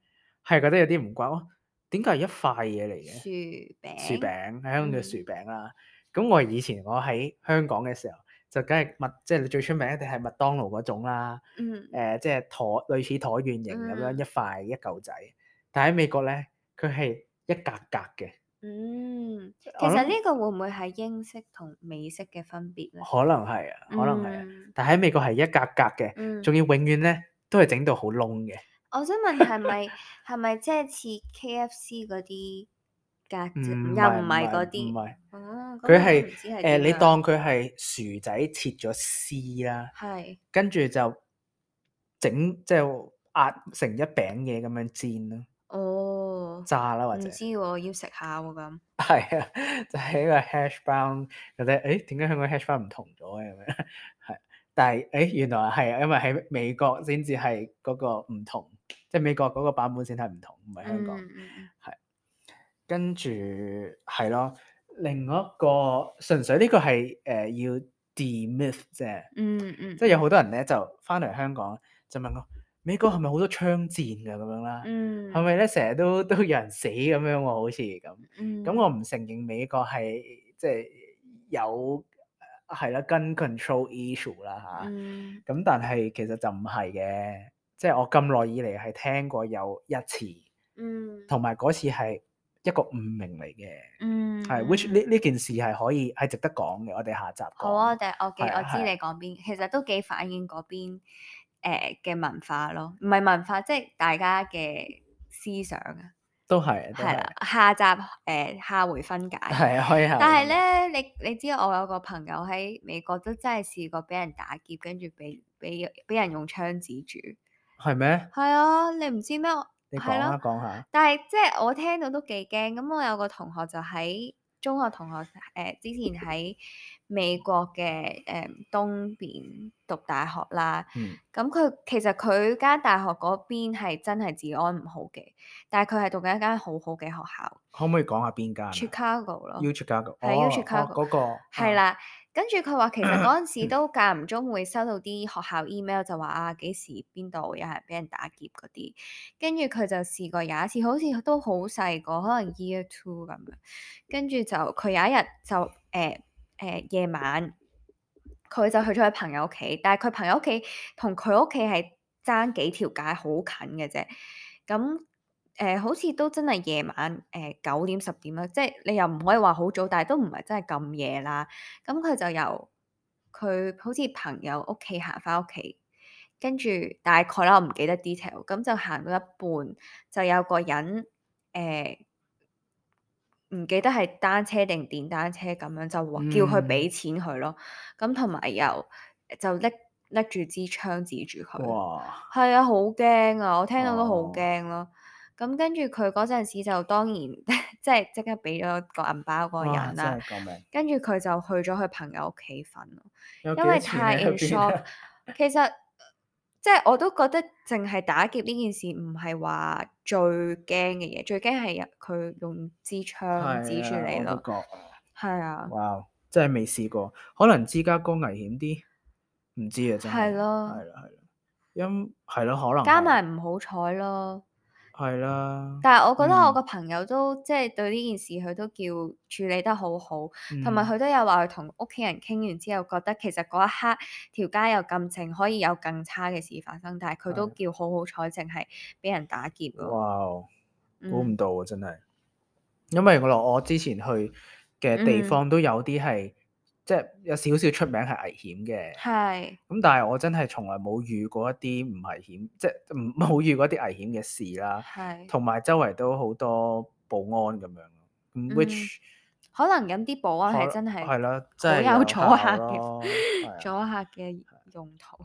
B: 係覺得有啲唔慣，哦，點解係一塊嘢嚟嘅？
A: 薯
B: 薯
A: 餅，
B: 餅，喺香港叫薯
A: 嗯
B: 餅啦。咁我以前我喺香港嘅時候，就梗係麥，即係你最出名一定係麥當勞嗰種啦。
A: 嗯
B: 誒、即係橢類似橢圓形咁樣一
A: 嗯
B: 塊一嚿仔。但喺美國咧，佢係一格格嘅。
A: 嗯，其
B: 我諗
A: 實呢個會唔會係英式同美式嘅分別咧？
B: 可能係啊，可能係啊。
A: 嗯
B: 但喺美國係一格格嘅，
A: 嗯，
B: 仲要永遠咧都係整到好燶嘅。
A: 我想問係咪係咪即係似 K F C 嗰啲格
B: 唔
A: 子，又唔
B: 係唔
A: 係嗰
B: 係唔
A: 啲？
B: 係，
A: 哦，咁
B: 佢係
A: 我都唔知係
B: 誒，你
A: 點樣。
B: 當佢係薯仔切咗絲啦，
A: 係，
B: 跟住就整即係壓成一餅嘢咁樣煎啦、
A: 哦，
B: 炸啦或者
A: 唔知喎，要食下喎咁。
B: 係啊，就係、一個 hash brown，覺得誒點解香港 hash brown 唔同咗嘅咁樣？係，但係誒原來係啊，因為喺美國先至係嗰個唔同，即係美國嗰個版本先係唔同，唔係香港。
A: 嗯嗯嗯
B: 係，跟住係咯，另外一個純粹呢個係誒、呃要 demyth 啫，
A: 嗯嗯，
B: 即係有好多人咧就翻嚟香港就問我美國係咪好多槍戰㗎咁樣啦？
A: 嗯
B: 係咪咧成日都都有人死咁樣喎？好似咁。
A: 嗯，
B: 咁我唔承認美國係即係有係啦 gun control issue 啦嚇。
A: 嗯
B: 咁但係其實就唔係嘅，即係我咁耐以嚟係聽過有一次，
A: 嗯
B: 同埋嗰次係一個誤名嚟嘅。
A: 嗯，
B: 係，which 呢呢件事係可以係值得講嘅，我哋下集講。
A: 好啊，我哋我記
B: 係啊
A: 我知你
B: 係啊
A: 講邊，其實都幾反映嗰邊誒嘅文化咯，唔係文化，即係大家嘅思想啊。
B: 都係都係
A: 係啦，下集誒、呃下回分解。
B: 係啊，可以下
A: 但係
B: 回分解
A: 咧，你你知我有個朋友喺美國都真係試過俾人打劫，跟住俾俾俾人用槍指住。
B: 係咩？
A: 係啊，你唔知咩？
B: 你講啊
A: 係咯，
B: 講下。
A: 但係即係我聽到都幾驚。咁我有個同學就喺中學同學誒、呃之前喺美國嘅誒、呃、東邊讀大學啦。
B: 嗯
A: 咁佢其實佢間大學嗰邊係真係治安唔好嘅，但係佢係讀緊一間好好嘅學校
B: 可唔可以講下邊間啊
A: ，Chicago 咯。
B: ？U Chicago。
A: 係 U
B: 哦哦
A: Chicago，
B: 嗰個啊
A: 係啦。跟住佢話其實嗰陣時都間唔中會收到啲學校 email 就話啊幾時邊度有人俾人打劫嗰啲，跟住佢就試過有一次好似都好細個，可能 year two 咁樣，跟住就佢有一日就誒誒夜晚，佢就去咗佢朋友屋企，但係佢朋友屋企同佢屋企係爭幾條街好近嘅啫，咁。誒、呃好似都真係夜晚誒九點十點啦，即係你又唔可以話好早，但係都唔係真係咁夜啦。咁佢就由佢好似朋友屋企行翻屋企，跟住大概啦，我唔記得 detail。咁就行到一半，就有個人誒唔、記得係單車定電單車咁樣，就話叫佢俾
B: 嗯，
A: 錢佢咯。咁同埋又就拎拎住支槍指住佢。
B: 哇！
A: 係啊，好驚啊！我聽到都好
B: 哦
A: 驚咯。咁跟住佢嗰陣時就當然即係即刻俾咗個銀包嗰個
B: 哇！
A: 人啦。
B: 真係救命！
A: 跟住佢就去咗佢朋友屋企瞓咯，
B: 有幾
A: 因為
B: 多錢
A: 太
B: 喺
A: in
B: 入邊
A: shock
B: 啊？。
A: 其實即係我都覺得淨係打劫呢件事唔係話最驚嘅嘢，最驚係佢用支槍指住
B: 係啊，
A: 你咯。
B: 我都覺。
A: 係啊，
B: 哇！真係未試過，可能芝加哥危險啲，唔知啊，真係。
A: 係咯
B: 係啦係啦，因係咯，可能係
A: 加埋唔好彩咯。
B: 係啦。
A: 但係我覺得我
B: 嗯
A: 個朋友都即係對呢件事佢都叫處理得好好，同埋
B: 嗯
A: 佢都有話佢同屋企人傾完之後，覺得其實嗰一刻條街又咁靜，可以有更差嘅事發生，但係佢都
B: 係
A: 叫好好彩，淨係俾人打劫咯。
B: 哇！估唔
A: 嗯
B: 到啊，真係。因為我我之前去嘅地
A: 嗯，
B: 方都有啲係即係有少少出名係危險嘅。
A: 係
B: 咁但係我真係從來冇遇過一啲唔危險，即係唔冇遇過一啲危險嘅事啦。
A: 係，
B: 同埋周圍都好多保安咁樣。咁
A: 嗯
B: which
A: 可能有啲保安係
B: 可
A: 真係
B: 係啦，
A: 好
B: 真係
A: 有阻
B: 有效
A: 嚇
B: 咯。
A: 嘅
B: 係啊。
A: 阻嚇嘅用途。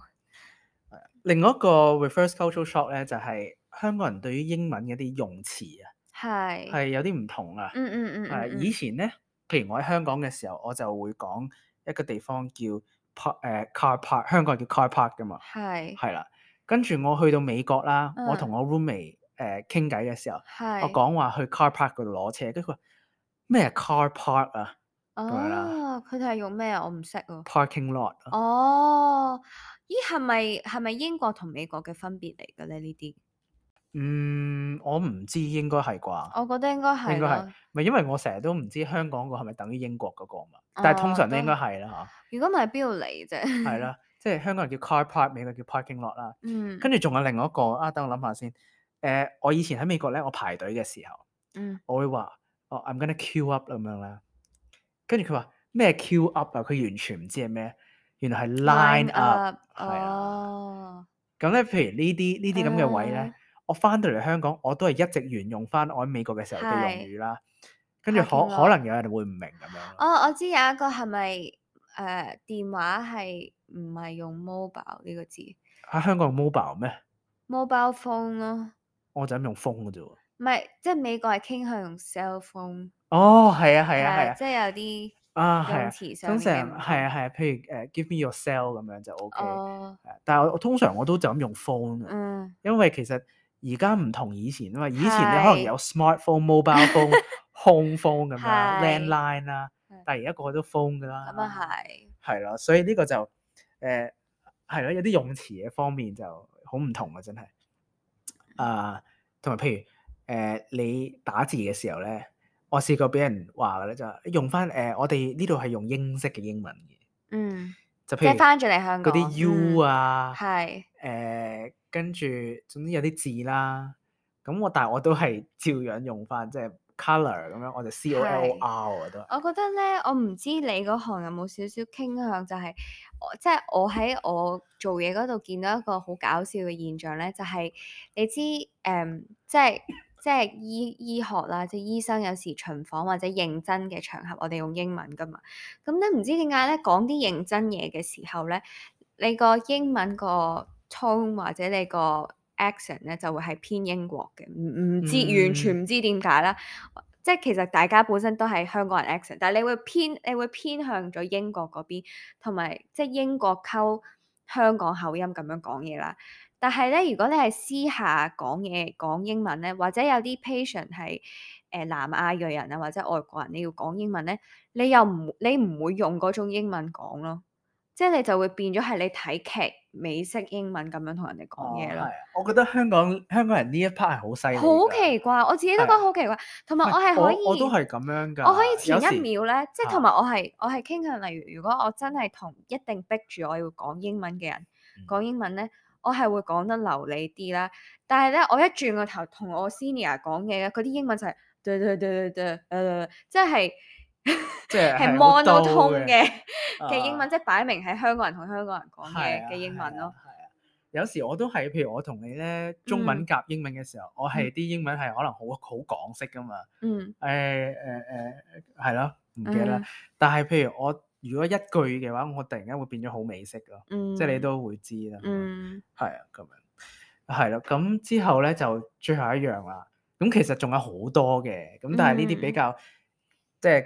B: 另外一個 reverse cultural shock 咧，就係香港人對於英文嗰啲用詞啊，
A: 係，
B: 係有啲唔同啊。
A: 嗯嗯嗯
B: 係
A: 嗯嗯，
B: 以前咧，譬如我喺香港嘅時候，我就會講一個地方叫 park 誒 car park，香港叫 car park 噶嘛。
A: 係
B: 係啦，跟住我去到美國啦，
A: 嗯
B: 我同我 roommate 誒傾偈嘅時候，我
A: 係，
B: 講話去 car park 嗰度攞車，跟住佢話咩係 car park 啊咁樣啦
A: 哦，佢哋係用咩啊？我唔識喎。
B: ，parking lot 啊。
A: 哦，咦，係咪係咪英國同美國嘅分別嚟嘅咧？呢啲
B: 嗯，我唔知應該係啩，
A: 我覺得應該
B: 應該係，
A: 係咯。
B: 咪因為我成日都唔知香港個係咪等於英國嗰個嘛，但係通
A: 哦，都
B: 常都應該係啦
A: 如果唔係邊度嚟
B: 嚇，係
A: 啫？
B: 啦，即係香港人叫 car park，美國叫 parking lot 啦。
A: 嗯
B: 跟住仲有另外一個啊，等我諗下先。誒、我以前喺美國咧，我排隊嘅時候，
A: 嗯
B: 我會話：哦，I'm gonna queue up 咁樣啦。跟住佢話咩 queue up 啊？佢完全唔知係咩，原來係 line
A: ，line
B: up，
A: up，
B: 係啊。
A: 哦，
B: 咁咧，譬如呢啲呢啲咁嘅位咧，
A: 誒
B: 我翻到嚟香港，我都係一直沿用翻我喺美國嘅時候嘅用
A: 係
B: 語啦。跟住可
A: parking
B: 可
A: lot。
B: 能有人會唔明咁樣咯。
A: 哦，我知有一個係咪誒電話係唔係用 mobile 呢個字
B: 喺香港用 mobile 咩？
A: ？mobile phone 咯，
B: 我就咁用 phone 嘅啫喎。
A: 唔係即係美國係傾向用 cell phone，
B: 哦，係啊，係
A: 係
B: 啊，係啊。
A: 即係有啲
B: 啊，係啊，
A: 用詞上
B: 通
A: 面嘅唔
B: 常係啊，
A: 同。
B: 係啊，譬如誒 give me your cell 咁樣就 OK，
A: 哦，
B: 係啊，但係我我通常我都就咁用 phone 嘅，
A: 嗯，
B: 因為其實而家唔同以前啊嘛，以前你可能有
A: 係
B: smartphone、mobile phone、home phone 咁樣
A: 係，
B: landline 啦，
A: 係
B: 但係而家個個都 phone 㗎
A: 咁啊
B: 啦，
A: 係，
B: 係咯，所以呢個就誒係咯，有啲用詞嘅方面就好唔同啊，真係。啊，同埋譬如誒、呃你打字嘅時候咧，我試過俾人話嘅咧就係用翻誒、呃我哋呢度係用英式嘅英文嘅，
A: 嗯，
B: 就譬如
A: 即係翻咗嚟香
B: 嗰啲
A: 港，
B: U
A: 嗯，
B: 啊，
A: 係，
B: 誒跟住總之有啲字啦，咁我但係我都係照樣用翻，即係 colour 咁樣，我就 C O L O
A: 係。
B: R 我都係。
A: 我覺得咧，我唔知你嗰行有冇少少傾向，就係我即係我喺我做嘢嗰度見到一個好搞笑嘅現象咧，就係、你知誒、嗯即係即係醫醫學啦，即係醫生有時巡房或者認真嘅場合，我哋用英文噶嘛。咁咧唔知點解咧，講啲認真嘢嘅時候咧，你個英文個 tone 或者你個 accent 咧就會係偏英國嘅，唔唔知完全
B: 嗯，
A: 唔知點解啦。即係其實大家本身都係香港人 accent，但係你會偏你會偏向咗英國嗰邊，同埋即係英國溝香港口音咁樣講嘢啦。但係咧，如果你係私下講嘢講英文咧，或者有啲 patient 係誒、呃、南亞裔人啊，或者外國人，你要講英文咧，你又唔你唔會用嗰種英文講咯，即係你就會變咗係你睇劇美式英文咁樣同人哋講
B: 哦，
A: 嘢咯。
B: 係啊，我覺得香港香港人呢一 part 係好犀利
A: 好
B: 㗎，
A: 奇怪，我自己都覺
B: 係啊，
A: 得好奇怪，同埋
B: 唔係
A: 我係可以，
B: 我我都係咁樣
A: 我可以
B: 㗎，
A: 前一
B: 有時
A: 秒咧，即係同
B: 嚇，
A: 埋我係我係傾向，例如如果我真係同一定逼住我要講英文嘅人講
B: 嗯。
A: 英文咧，我係會講得流利啲啦。但係咧，我一轉個頭同我 senior 講嘢咧，佢啲英文就係對對對對對，誒，即係
B: 即係
A: 係
B: 係好刀
A: monotone
B: 嘅，
A: 嘅嘅英文，
B: 啊，
A: 即係擺明係香港人同香港人講
B: 係啊，
A: 嘅嘅英
B: 係啊，
A: 文咯。
B: 係啊。有時我都係，譬如我同你咧中文
A: 嗯
B: 夾英文嘅時候，我係
A: 嗯
B: 啲英文係可能好好港式㗎嘛，
A: 嗯
B: 誒誒誒，係咯，唔記得啦。
A: 嗯
B: 但係譬如我如果一句嘅話，我突然間會變咗好美式咯，即係你
A: 嗯
B: 都會知啦，
A: 嗯
B: 係啊，咁樣，係咯。咁之後咧就最後一樣啦。咁其實仲有好多嘅，咁但係呢啲比
A: 嗯。
B: 較即係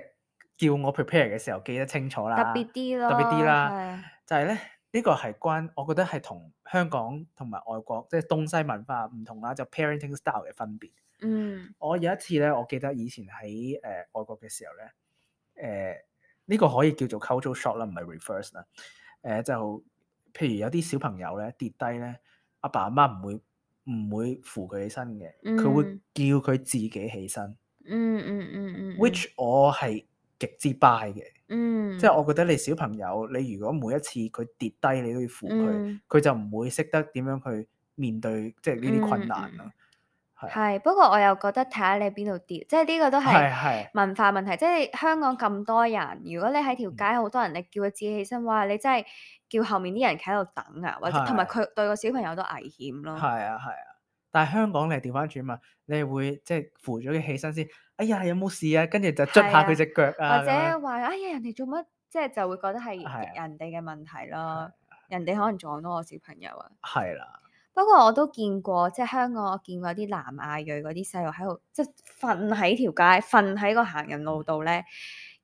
B: 叫我 prepare 嘅時候記得清楚
A: 特
B: 啦，
A: 別啲
B: 特別啲
A: 咯，
B: 啦，
A: 係，
B: 就係咧呢個係關我覺得係同香港同埋外國即係東西文化唔同啦，就 parenting style 嘅分別。
A: 嗯
B: 我有一次咧，我記得以前喺誒、呃、外國嘅時候咧，誒、呢、個可以叫做 cultural shock 啦，唔係 reverse 啦。誒、就譬如有啲小朋友咧跌低咧，阿爸阿媽唔會唔會扶佢起身嘅，佢會
A: 嗯
B: 叫佢自己起身。
A: 嗯嗯嗯嗯
B: which 我係極之 buy 嘅，
A: 嗯，
B: 即係我覺得你小朋友，你如果每一次佢跌低，你都要扶佢，
A: 嗯
B: 佢就唔會識得點樣去面對即係呢啲困
A: 嗯
B: 難咯。
A: 嗯，
B: 係啊，
A: 係，不過我又覺得睇下你邊度跌，即係呢個都係
B: 係係，
A: 文化問題。即係香港咁多人，如果你喺條
B: 嗯
A: 街好多人，你叫佢自己起身，哇！你真係叫後面啲人企喺度等啊，或者同埋
B: 係
A: 佢對個小朋友都危險咯。
B: 係啊係啊，但係香港你係調翻轉嘛，你係會即係扶咗佢起身先，哎呀有冇事啊？跟住就捽下佢隻腳啊
A: 或者
B: 咁樣，
A: 話哎呀人哋做乜，即係就會覺得係
B: 係啊
A: 人哋嘅問題
B: 係
A: 咯，人哋可能撞到我小朋友啊。
B: 係啦，
A: 不過我都見過，即係香港我見過啲南亞裔嗰啲細路喺度，即係瞓喺條街，瞓喺個行人路度咧，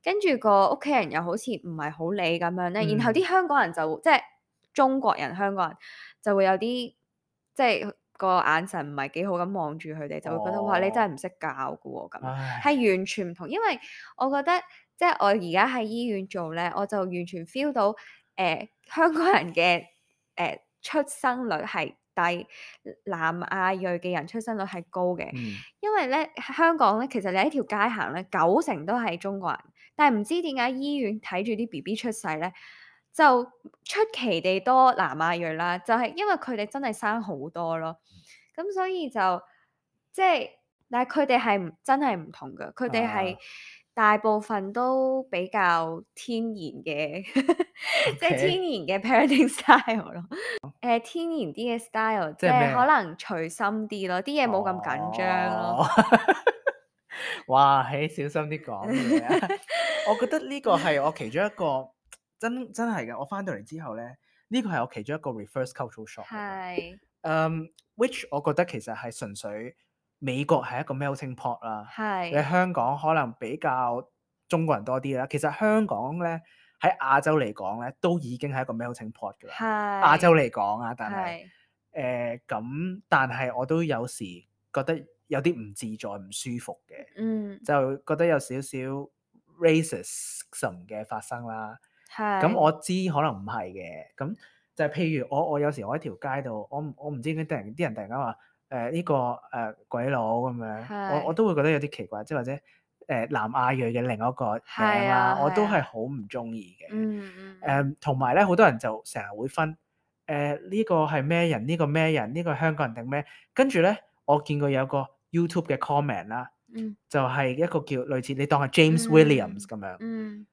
A: 跟住個屋企人又好似唔係好理咁樣咧，然後啲
B: 嗯
A: 香港人就即係中國人香港人就會有啲即係個眼神唔係幾好咁望住佢哋，就會覺得哇你真係唔識教㗎喎咁樣，
B: 唉，
A: 係完全唔同。因為我覺得即係我而家喺醫院做咧，我就完全 feel 到誒、呃香港人嘅。誒、呃、出生率係低，南亞裔嘅人出生率係高嘅。
B: 嗯，
A: 因為咧香港咧，其實你喺條街行咧，九成都係中國人，但係唔知點解醫院睇住啲 B B 出世咧，就出奇地多南亞裔啦，就係、因為佢哋真係生好多咯，咁所以就即係，但係佢哋係唔真係唔同嘅，佢哋係
B: 啊
A: 大部分都比較天然嘅，即係天
B: ，OK，
A: 然嘅 parenting style 咯。誒、天然啲嘅 style，即
B: 即係咩？
A: 係可能隨心啲咯，啲嘢冇咁緊張咯。
B: 哦，哇，嘿，小心啲講嘢啊！我覺得呢個係我其中一個真真係嘅。我翻到嚟之後咧，呢個係我其中一個 reverse cultural shock 嚟嘅。
A: 係
B: 嗯，which 我覺得其實係純粹美國係一個 melting pot 啦，你
A: 係
B: 香港可能比較中國人多啲啦。其實香港咧喺亞洲嚟講咧，都已經係一個 melting pot 㗎啦。亞洲
A: 係
B: 嚟講啊，但係
A: 係
B: 誒咁，但係我都有時覺得有啲唔自在、唔舒服嘅，
A: 嗯
B: 就覺得有少少 racism 嘅發生啦。咁
A: 係
B: 我知可能唔係嘅，咁就係譬如我我有時我喺條街度，我唔我唔知點解突然啲人突然間話誒呢個誒、呃、鬼佬咁樣，我我
A: 係
B: 都會覺得有啲奇怪，即係或者誒、呃、南亞裔嘅另一個名
A: 係
B: 啦，
A: 啊係
B: 我都係
A: 啊
B: 好唔中意嘅。
A: 嗯嗯嗯
B: 誒同埋咧，好多人就成日會分誒呢個係咩人，呢個咩人，呢個係香港人定咩？跟住咧，我見過有個 YouTube 嘅 comment 啦，
A: 嗯
B: 就係一個叫類似你當係 James Williams 咁樣，
A: 嗯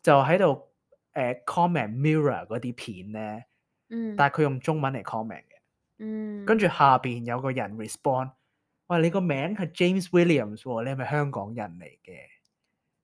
B: 就喺度誒 comment mirror 嗰啲片咧，
A: 嗯
B: 但係佢用中文嚟 comment 嘅，
A: 嗯，
B: 跟住下邊有個人 respond，喂，你個名係 James Williams 喎，你係咪香港人嚟嘅？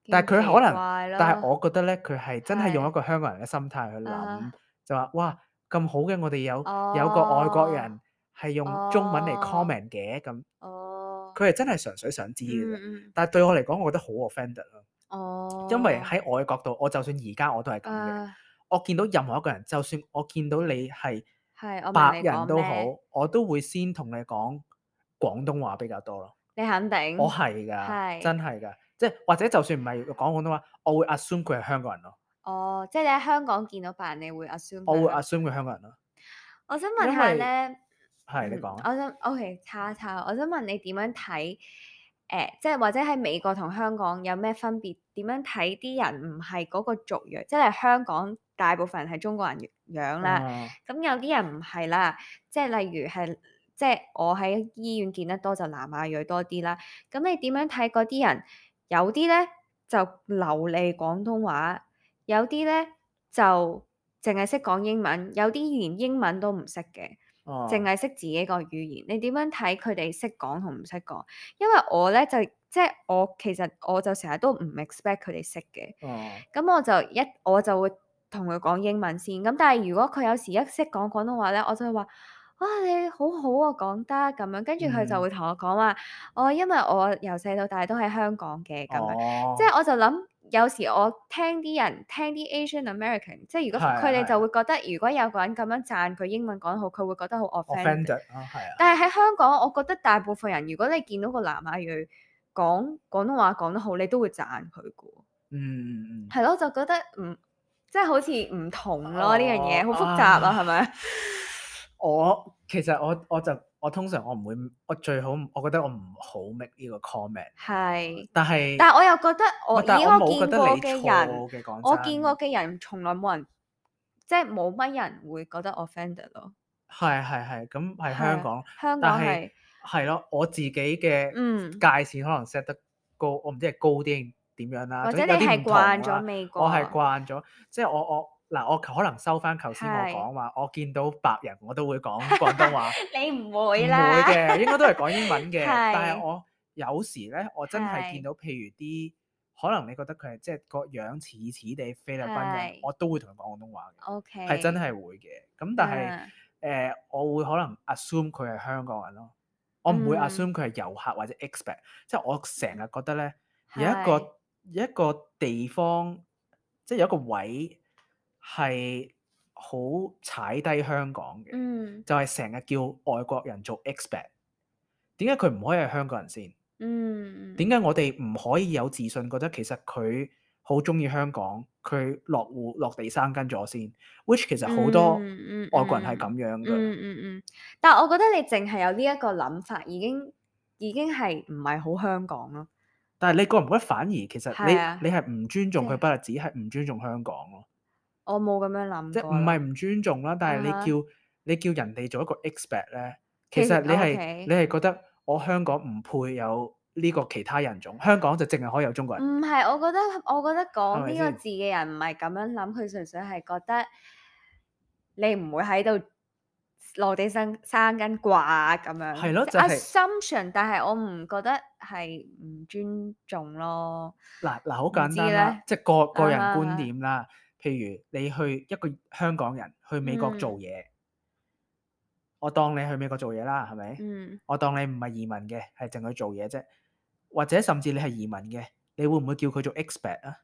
B: 但係佢可能，但係我覺得咧，佢係真係用一個香港人嘅心態去諗，就話哇咁好嘅，我哋有有個外國人係用中文嚟 comment 嘅，咁
A: 哦
B: 佢係真係純粹想知嘅啫。
A: 嗯嗯
B: 但係對我嚟講，我覺得好 offended 咯，
A: 哦，
B: 因為喺我嘅角度，我就算而家我都係咁嘅。
A: 啊
B: 我見到任何一個人，就算我見到你係
A: 係我明
B: 白
A: 你講
B: 人都好
A: 咩，，
B: 我都會先同你講廣東話比較多咯。
A: 你肯定
B: 我係㗎，
A: 係
B: 真係㗎，即係或者就算唔係講廣東話，我會 assume 佢係香港人咯，
A: 哦，即係你喺香港見到白人，你會 assume
B: 我會
A: 佢係
B: assume 佢係香港人咯。
A: 我想問
B: 因為
A: 下咧，嗯，
B: 係你講啊，
A: 我想 OK 叉一叉，我想問你點樣睇？誒、即係或者喺美國同香港有咩分別？點樣睇啲人唔係嗰個族裔，即係香港大部分人係中國人樣啦，
B: 啊
A: 咁、有啲人唔係啦，即係例如係即係我喺醫院見得多就南亞裔多啲啦。咁你點樣睇嗰啲人？有啲咧就流利廣東話，有啲咧就淨係識講英文，有啲連英文都唔識嘅。
B: 哦，
A: 淨係識自己個語言，你點樣睇佢哋識講同唔識講？因為我咧就即係我其實我就成日都唔 expect 佢哋識嘅，
B: 哦，
A: 咁我就一我就會同佢講英文先。咁但係如果佢有時一識講廣東話咧，我就會話：哇，你好好啊，講得咁樣。跟住佢就
B: 嗯
A: 會同我講話：哦，因為我由細到大都喺香港嘅咁樣。
B: 哦，
A: 即係我就諗，有時我聽啲人聽啲 Asian American，即係如果
B: 係係
A: 佢哋就會覺得，如果有個人咁樣讚佢英文講得好，佢會覺得好 offended。
B: offended 啊，係啊，
A: 但係喺香港，我覺得大部分人，如果你見到個南亞裔講廣東話講得好，你都會讚佢嘅喎。
B: 嗯嗯嗯，
A: 係咯，就覺得唔即係好似唔同咯呢樣嘢，
B: 哦
A: 好複雜啊，係咪？
B: 我其實我我就我通常我唔會，我最好我覺得我唔好 make 呢個 comment，
A: 係，
B: 但係
A: 但係我又覺得我
B: 但係
A: 以我見
B: 我冇覺得
A: 過嘅
B: 你錯
A: 人，
B: 嘅，講
A: 我
B: 真
A: 見過嘅人從來冇人即係冇乜人會覺得 offended 咯。
B: 係係係，咁係
A: 係啊
B: 香港，
A: 香
B: 但係
A: 港係
B: 係咯，我自己嘅
A: 嗯
B: 界線可能 set 得高，我唔知係高啲定點樣啦，
A: 或者你係
B: 總之有啲唔同
A: 慣咗
B: 啦。
A: 美國，
B: 我係慣咗，即係我我嗱，我可能收翻頭先我
A: 係
B: 講話，我見到白人我都會講廣東話，
A: 你唔
B: 唔會
A: 會啦，
B: 嘅，應該都係講英文嘅。
A: 係
B: 但係我有時咧，我真係
A: 係
B: 見到譬如啲可能你覺得佢係即係個樣似似地菲律賓人
A: 係，
B: 我都會同佢講廣東話嘅。
A: OK
B: 係真係會嘅。咁但係誒、
A: 嗯
B: 呃我會可能 assume 佢係香港人咯，我唔會
A: 嗯
B: assume 佢係遊客或者 expat，即係我成日覺得咧有一
A: 係
B: 個有一個地方，即係有一個位係好踩低香港嘅，
A: 嗯
B: 就係成日叫外國人做 expat。點解佢唔可以係香港人先？
A: 嗯
B: 點解我哋唔可以有自信覺得其實佢好中意香港，佢落戶落地生根咗先，which 其實好多
A: 嗯嗯
B: 外國人係咁樣㗎。
A: 嗯嗯嗯，但係我覺得你淨係有呢一個諗法，已經已經係唔係好香港咯？
B: 但係你覺唔覺得反而其實你
A: 係啊，
B: 你係唔尊重佢，
A: 即係
B: 不特止係唔尊重香港咯，
A: 我冇咁樣諗
B: 即係
A: 過咯。
B: 唔係唔尊重啦，但係你
A: 啊哈
B: 叫你叫人哋做一個 expat 咧，其
A: 其實
B: 實你係
A: OK
B: 你係覺得我香港唔配有呢個其他人種，香港就淨係可以有中國人，
A: 唔係，我覺得我覺得
B: 係
A: 講
B: 咪先？
A: 呢個字嘅人唔係咁樣諗，佢純粹係覺得你唔會喺度落地生生根啩咁樣，
B: 係咯，
A: 即
B: 就係
A: assumption，但係我唔覺得係唔尊重咯。
B: 嗱嗱好
A: 唔知
B: 簡單啦，
A: 咧，
B: 即係個個
A: 啊
B: 人觀
A: 哈啊哈
B: 點啦。譬如你去一個香港人去美國做
A: 嗯
B: 嘢，我當你去美國做嘢啦，係咪？
A: 嗯，
B: 我當你唔係移民嘅，係淨去做嘢啫，或者甚至你係移民嘅，你會唔會叫佢做 expat 啊？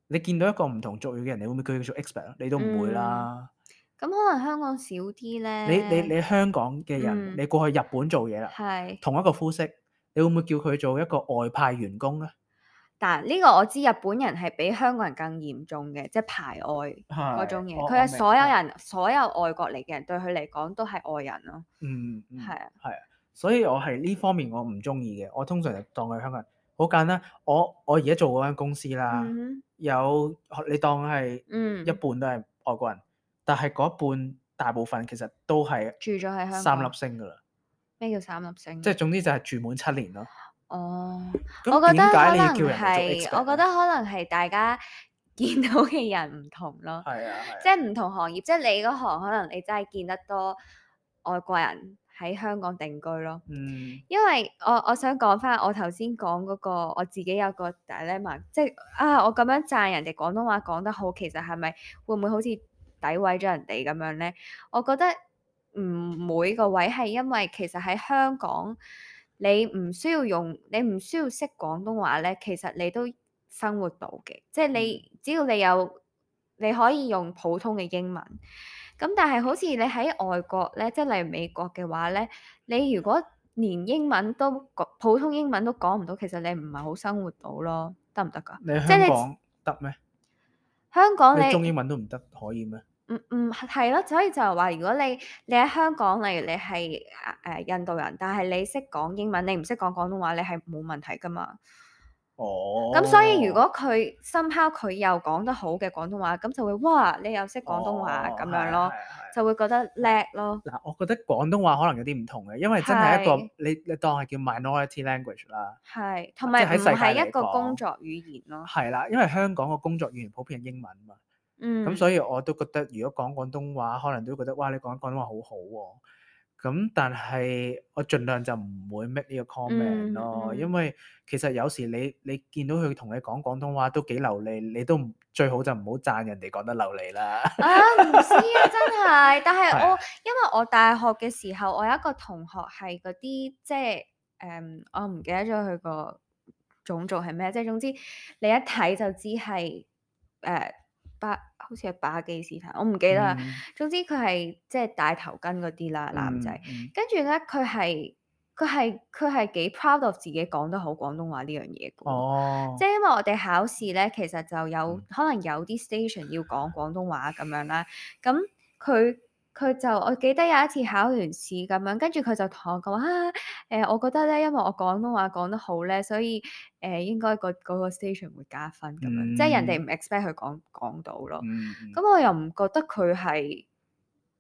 B: 你見到一個唔同族裔嘅人，你會唔會叫佢做 expat 啊？你都唔會
A: 嗯，
B: 啦。
A: 咁可能香港少啲
B: 你你
A: 咧。
B: 你香港嘅人，
A: 嗯，
B: 你過去日本做嘢啦，
A: 係。
B: 同一個膚色，你會唔會叫佢做一個外派員工啊？
A: 但呢個我知日本人係比香港人更嚴重嘅，即係排外嗰種
B: 係，
A: 嘢。
B: 我我明
A: 佢係所有
B: 係。
A: 人，所有外國嚟嘅人對佢嚟講都係外人咯。
B: 嗯嗯，
A: 係啊，
B: 係啊，所以我係呢方面我唔中意嘅，我通常就當佢香港人。好簡單，我我而家做嗰間公司啦，
A: 嗯
B: 有你當係
A: 哼，
B: 一
A: 嗯，
B: 半都係外國人，但係嗰一半大部分其實都係
A: 住咗喺香
B: 三粒
A: 港。
B: 星㗎啦，
A: 咩叫三粒星？
B: 即係總之就係住滿七年咯。
A: 哦，
B: 咁
A: 我覺得
B: 點解你要
A: 可能
B: 叫人哋做
A: 係，我
B: expat 咧？
A: 覺得可能係大家見到嘅人唔同咯，
B: 係啊係啊，
A: 即係唔同行業，即係你嗰行可能你真係見得多外國人喺香港定居咯。
B: 嗯
A: 因為我我想講翻我頭先講嗰個我自己有個 dilemma，即係啊我咁樣讚人哋廣東話講得好，其實係咪會唔會好似詆毀咗人哋咁樣咧？我覺得唔會個位係因為其實喺香港你唔需要用你唔需要識廣東話咧，其實你都生活到嘅，即係你只要你有你可以用普通嘅英文。咁但係好似你喺外國咧，即係例如美國嘅話咧，你如果連英文都講普通英文都講唔到，其實你唔係好生活到咯，得唔得㗎？
B: 你
A: 即係你
B: 香港得咩？
A: 香港
B: 你中
A: 你
B: 英文都唔得，可以咩？
A: 唔唔係咯，所以就係話，如果你你喺香港，例如你係誒印度人，但係你識講英文，你唔識講廣東話，你係冇問題㗎嘛。
B: 哦，
A: 咁所以如果佢 somehow 佢又講得好嘅廣東話，咁就會哇你又識廣東話
B: 哦
A: 咁樣咯，
B: 係係係
A: 就會覺得叻咯。
B: 嗱，我覺得廣東話可能有啲唔同嘅，因為真係一個
A: 係
B: 你你當係叫 minority language 啦，
A: 係，同
B: 即係喺世界
A: 埋唔係
B: 嚟
A: 一個工
B: 講，
A: 作語言咯。
B: 係啦，因為香港個工作語言普遍係英文嘛，咁
A: 嗯，
B: 所以我都覺得如果講廣東話，可能都覺得哇你講廣東話好好喎，咁但係我盡量就唔會 make 呢個 comment
A: 嗯
B: 咯，
A: 嗯
B: 因為其實有時你你見到佢同你講廣東話都幾流利，你都唔最好就唔好讚人哋講得流利啦。
A: 啊，唔知啊，真係，但係我
B: 係啊
A: 因為我大學嘅時候，我有一個同學係嗰啲即係誒，我唔記得咗佢個種族係咩，即係總之你一睇就知係誒巴，好似係巴基斯坦，我唔記得啦。
B: 嗯
A: 總之佢係即係戴頭巾嗰啲啦，男仔。
B: 嗯嗯
A: 跟住咧，佢係佢係佢係幾 proud of 自己講得好廣東話呢樣嘢嘅喎。
B: 哦
A: 即係因為我哋考試咧，其實就有
B: 嗯
A: 可能有啲 station 要講廣東話咁樣啦。咁佢佢就我記得有一次考完試咁樣，跟住佢就同我講啊，誒、我覺得咧，因為我廣東話講得好咧，所以誒、應該個嗰個 station 會加分咁樣，即係人哋唔 expect 佢講講到咯。
B: 嗯嗯
A: 咁我又唔覺得佢係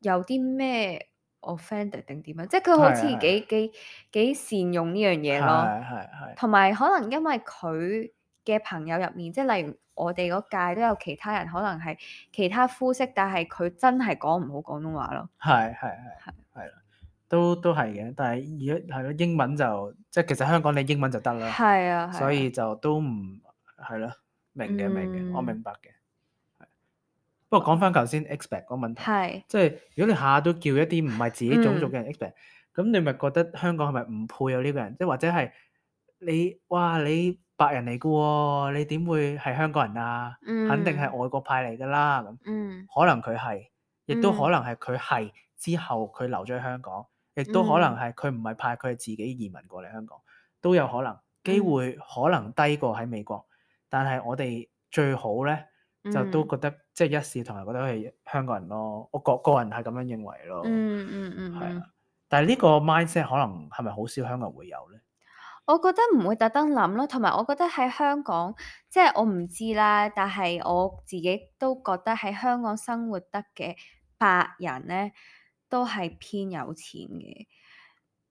A: 有啲咩 offended 定點樣，即係佢好似
B: 係係
A: 幾幾幾善用呢樣嘢咯。
B: 係係係
A: 同埋可能因為佢嘅朋友入面，即係例如我哋嗰屆都有其他人，可能係其他膚色，但係佢真係講唔好廣東話咯。
B: 係係係係啦，都都係嘅，但係而家係咯，英文就即係其實香港你英文就得啦，
A: 係啊，係啊
B: 所以就都唔係咯，明嘅明嘅，我
A: 嗯
B: 明白嘅。係不過講翻頭先 expat 嗰個問題，
A: 係
B: 即係如果你下下都叫一啲唔係自己種族
A: 嗯
B: 嘅人 expat，咁你咪覺得香港係咪唔配有呢個人？即係或者係你哇你白人嚟嘅喎，你點會係香港人啊？肯定係
A: 嗯
B: 外國派嚟㗎啦咁。
A: 嗯
B: 可能佢係，亦都可
A: 嗯
B: 能係佢係之後佢留咗喺香港，亦都可能
A: 嗯
B: 係佢唔係派，佢係自己移民過嚟香港，都有可能。機
A: 嗯
B: 會可能低過喺美國，但係我哋最好咧就都
A: 嗯
B: 覺得即係一視同仁，覺得係香港人咯。我個個人係咁樣認為咯。
A: 嗯嗯嗯
B: 係啊，
A: 嗯，
B: 但係呢個 mindset 可能係咪好少香港人會有咧？
A: 我覺得唔會特登諗咯，同埋我覺得喺香港，即係我唔知啦，但係我自己都覺得喺香港生活得嘅白人咧，都係偏有錢嘅。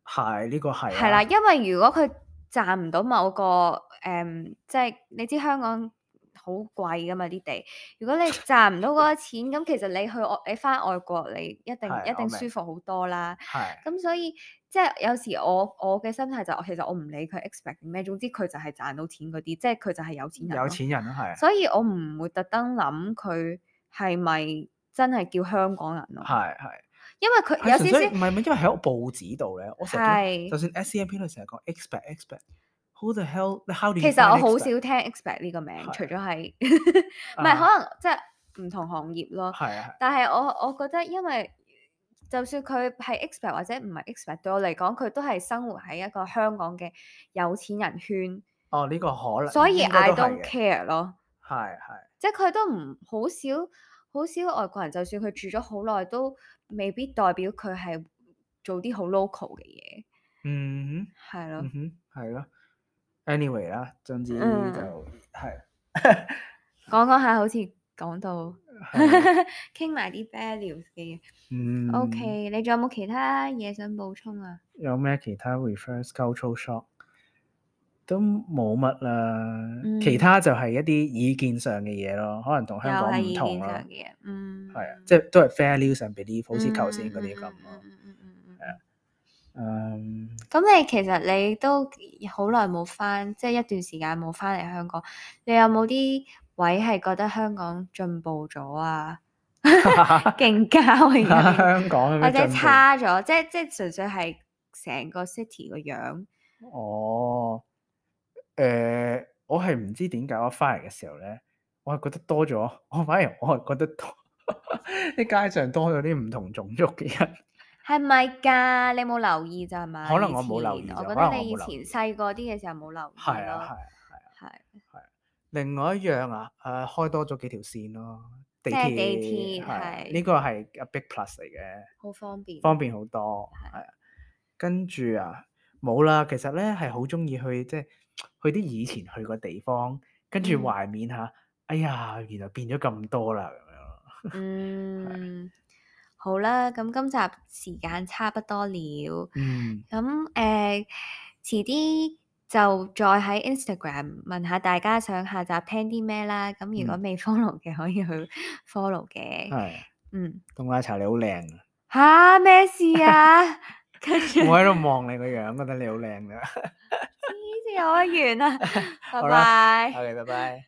B: 係呢個係
A: 係啦，
B: 啊，
A: 因為如果佢賺唔到某個誒、嗯即係你知香港好貴噶嘛啲地，如果你賺唔到嗰個錢，咁其實你去外你翻外國，你一定一
B: 係我明
A: 定舒服好多啦。
B: 係
A: 咁所以即係有時我我嘅心態就其實我唔理佢 expect 咩，總之佢就係賺到錢嗰啲，即係佢就係有錢人咯。
B: 有錢人咯，係
A: 所以我唔會特登諗佢係咪真係叫香港人咯，
B: 係係。
A: 因為佢
B: 係純
A: 有少少
B: 粹唔係唔係，因為喺個報紙度咧，我成日見到，
A: 係
B: 就算 S C M P 都成日講 expect expect，who the hell？how do you
A: 其實我
B: find
A: 好
B: expect？
A: 少聽 expect 呢個名，
B: 係
A: 除咗係唔係
B: 啊，
A: 可能即係唔同行業咯。
B: 係啊係，
A: 但係我我覺得，因為就算佢係 expect 或者唔係 expect，對我嚟講，佢都係生活喺一個香港嘅有錢人圈，
B: 哦呢個可能
A: 所以
B: 應該
A: I
B: 都係
A: don't
B: 嘅，
A: care 咯。
B: 係係
A: 即係佢都唔好少好少外國人，就算佢住咗好耐，都未必代表佢係做啲好 local 嘅嘢，
B: 嗯
A: 係咯。
B: 哼嗯哼係咯，anyway 啦，總之就
A: 嗯，
B: 係
A: 講講下好似講到
B: 係
A: 傾埋啲 values 嘅嘢。
B: 嗯
A: OK，你仲有冇其他嘢想補充啊？
B: 有咩其他 reverse cultural shock？都冇乜啦，
A: 嗯
B: 其他就係一啲意見上嘅嘢咯，可能同
A: 又
B: 香港
A: 係意
B: 唔同咯。
A: 見上嘅嘢，嗯，
B: 係啊，即係都係 values and belief，好似頭先嗰啲咁
A: 嗯
B: 咯。
A: 嗯嗯嗯嗯嗯
B: 係啊，嗯，
A: 咁你其實你都好耐冇翻，即係一段時間冇翻嚟香港，你有冇啲位係覺得香港進步咗啊？勁交啊，而家變
B: 香港有
A: 或者
B: 咩進步？
A: 差咗，即係即係純粹係成個 city 個樣。
B: 哦，誒，我係唔知點解我翻嚟嘅時候咧，我係覺得多咗，我反而我係覺得多啲街上多咗啲唔同種族嘅人。
A: 係咪㗎？你冇留意咋係嘛？
B: 可能我冇留意咋
A: 以前我覺
B: 可能
A: 得你以前
B: 我冇留意
A: 細個啲嘅時候冇留意
B: 係啊，係
A: 咯。
B: 啊，
A: 係
B: 係啊。另外一樣啊，誒，開多咗幾條線咯，地
A: 即係
B: 鐵
A: 地鐵
B: 係啊，
A: 係
B: 呢個係 a big plus 嚟嘅。
A: 好方便。
B: 方便好多，
A: 係
B: 係啊。跟住啊，冇啦。其實咧係好中意去即係去啲以前去過地方，跟住
A: 嗯
B: 懷緬下。哎呀，原來變咗咁多啦咁樣咯。
A: 嗯，好啦，咁今集時間差不多了。
B: 嗯，
A: 咁誒、呃，遲啲就再喺 Instagram 問下大家想下集聽啲咩啦。咁如果
B: 嗯
A: 未 follow 嘅，可以去 follow 嘅。
B: 係。
A: 嗯，
B: 凍奶茶你好靚啊！
A: 吓咩事啊？跟住
B: 我喺度望你個樣，覺得你好靚㗎。
A: 黐線，我完啦，拜
B: 好啦
A: 拜。
B: OK，拜拜。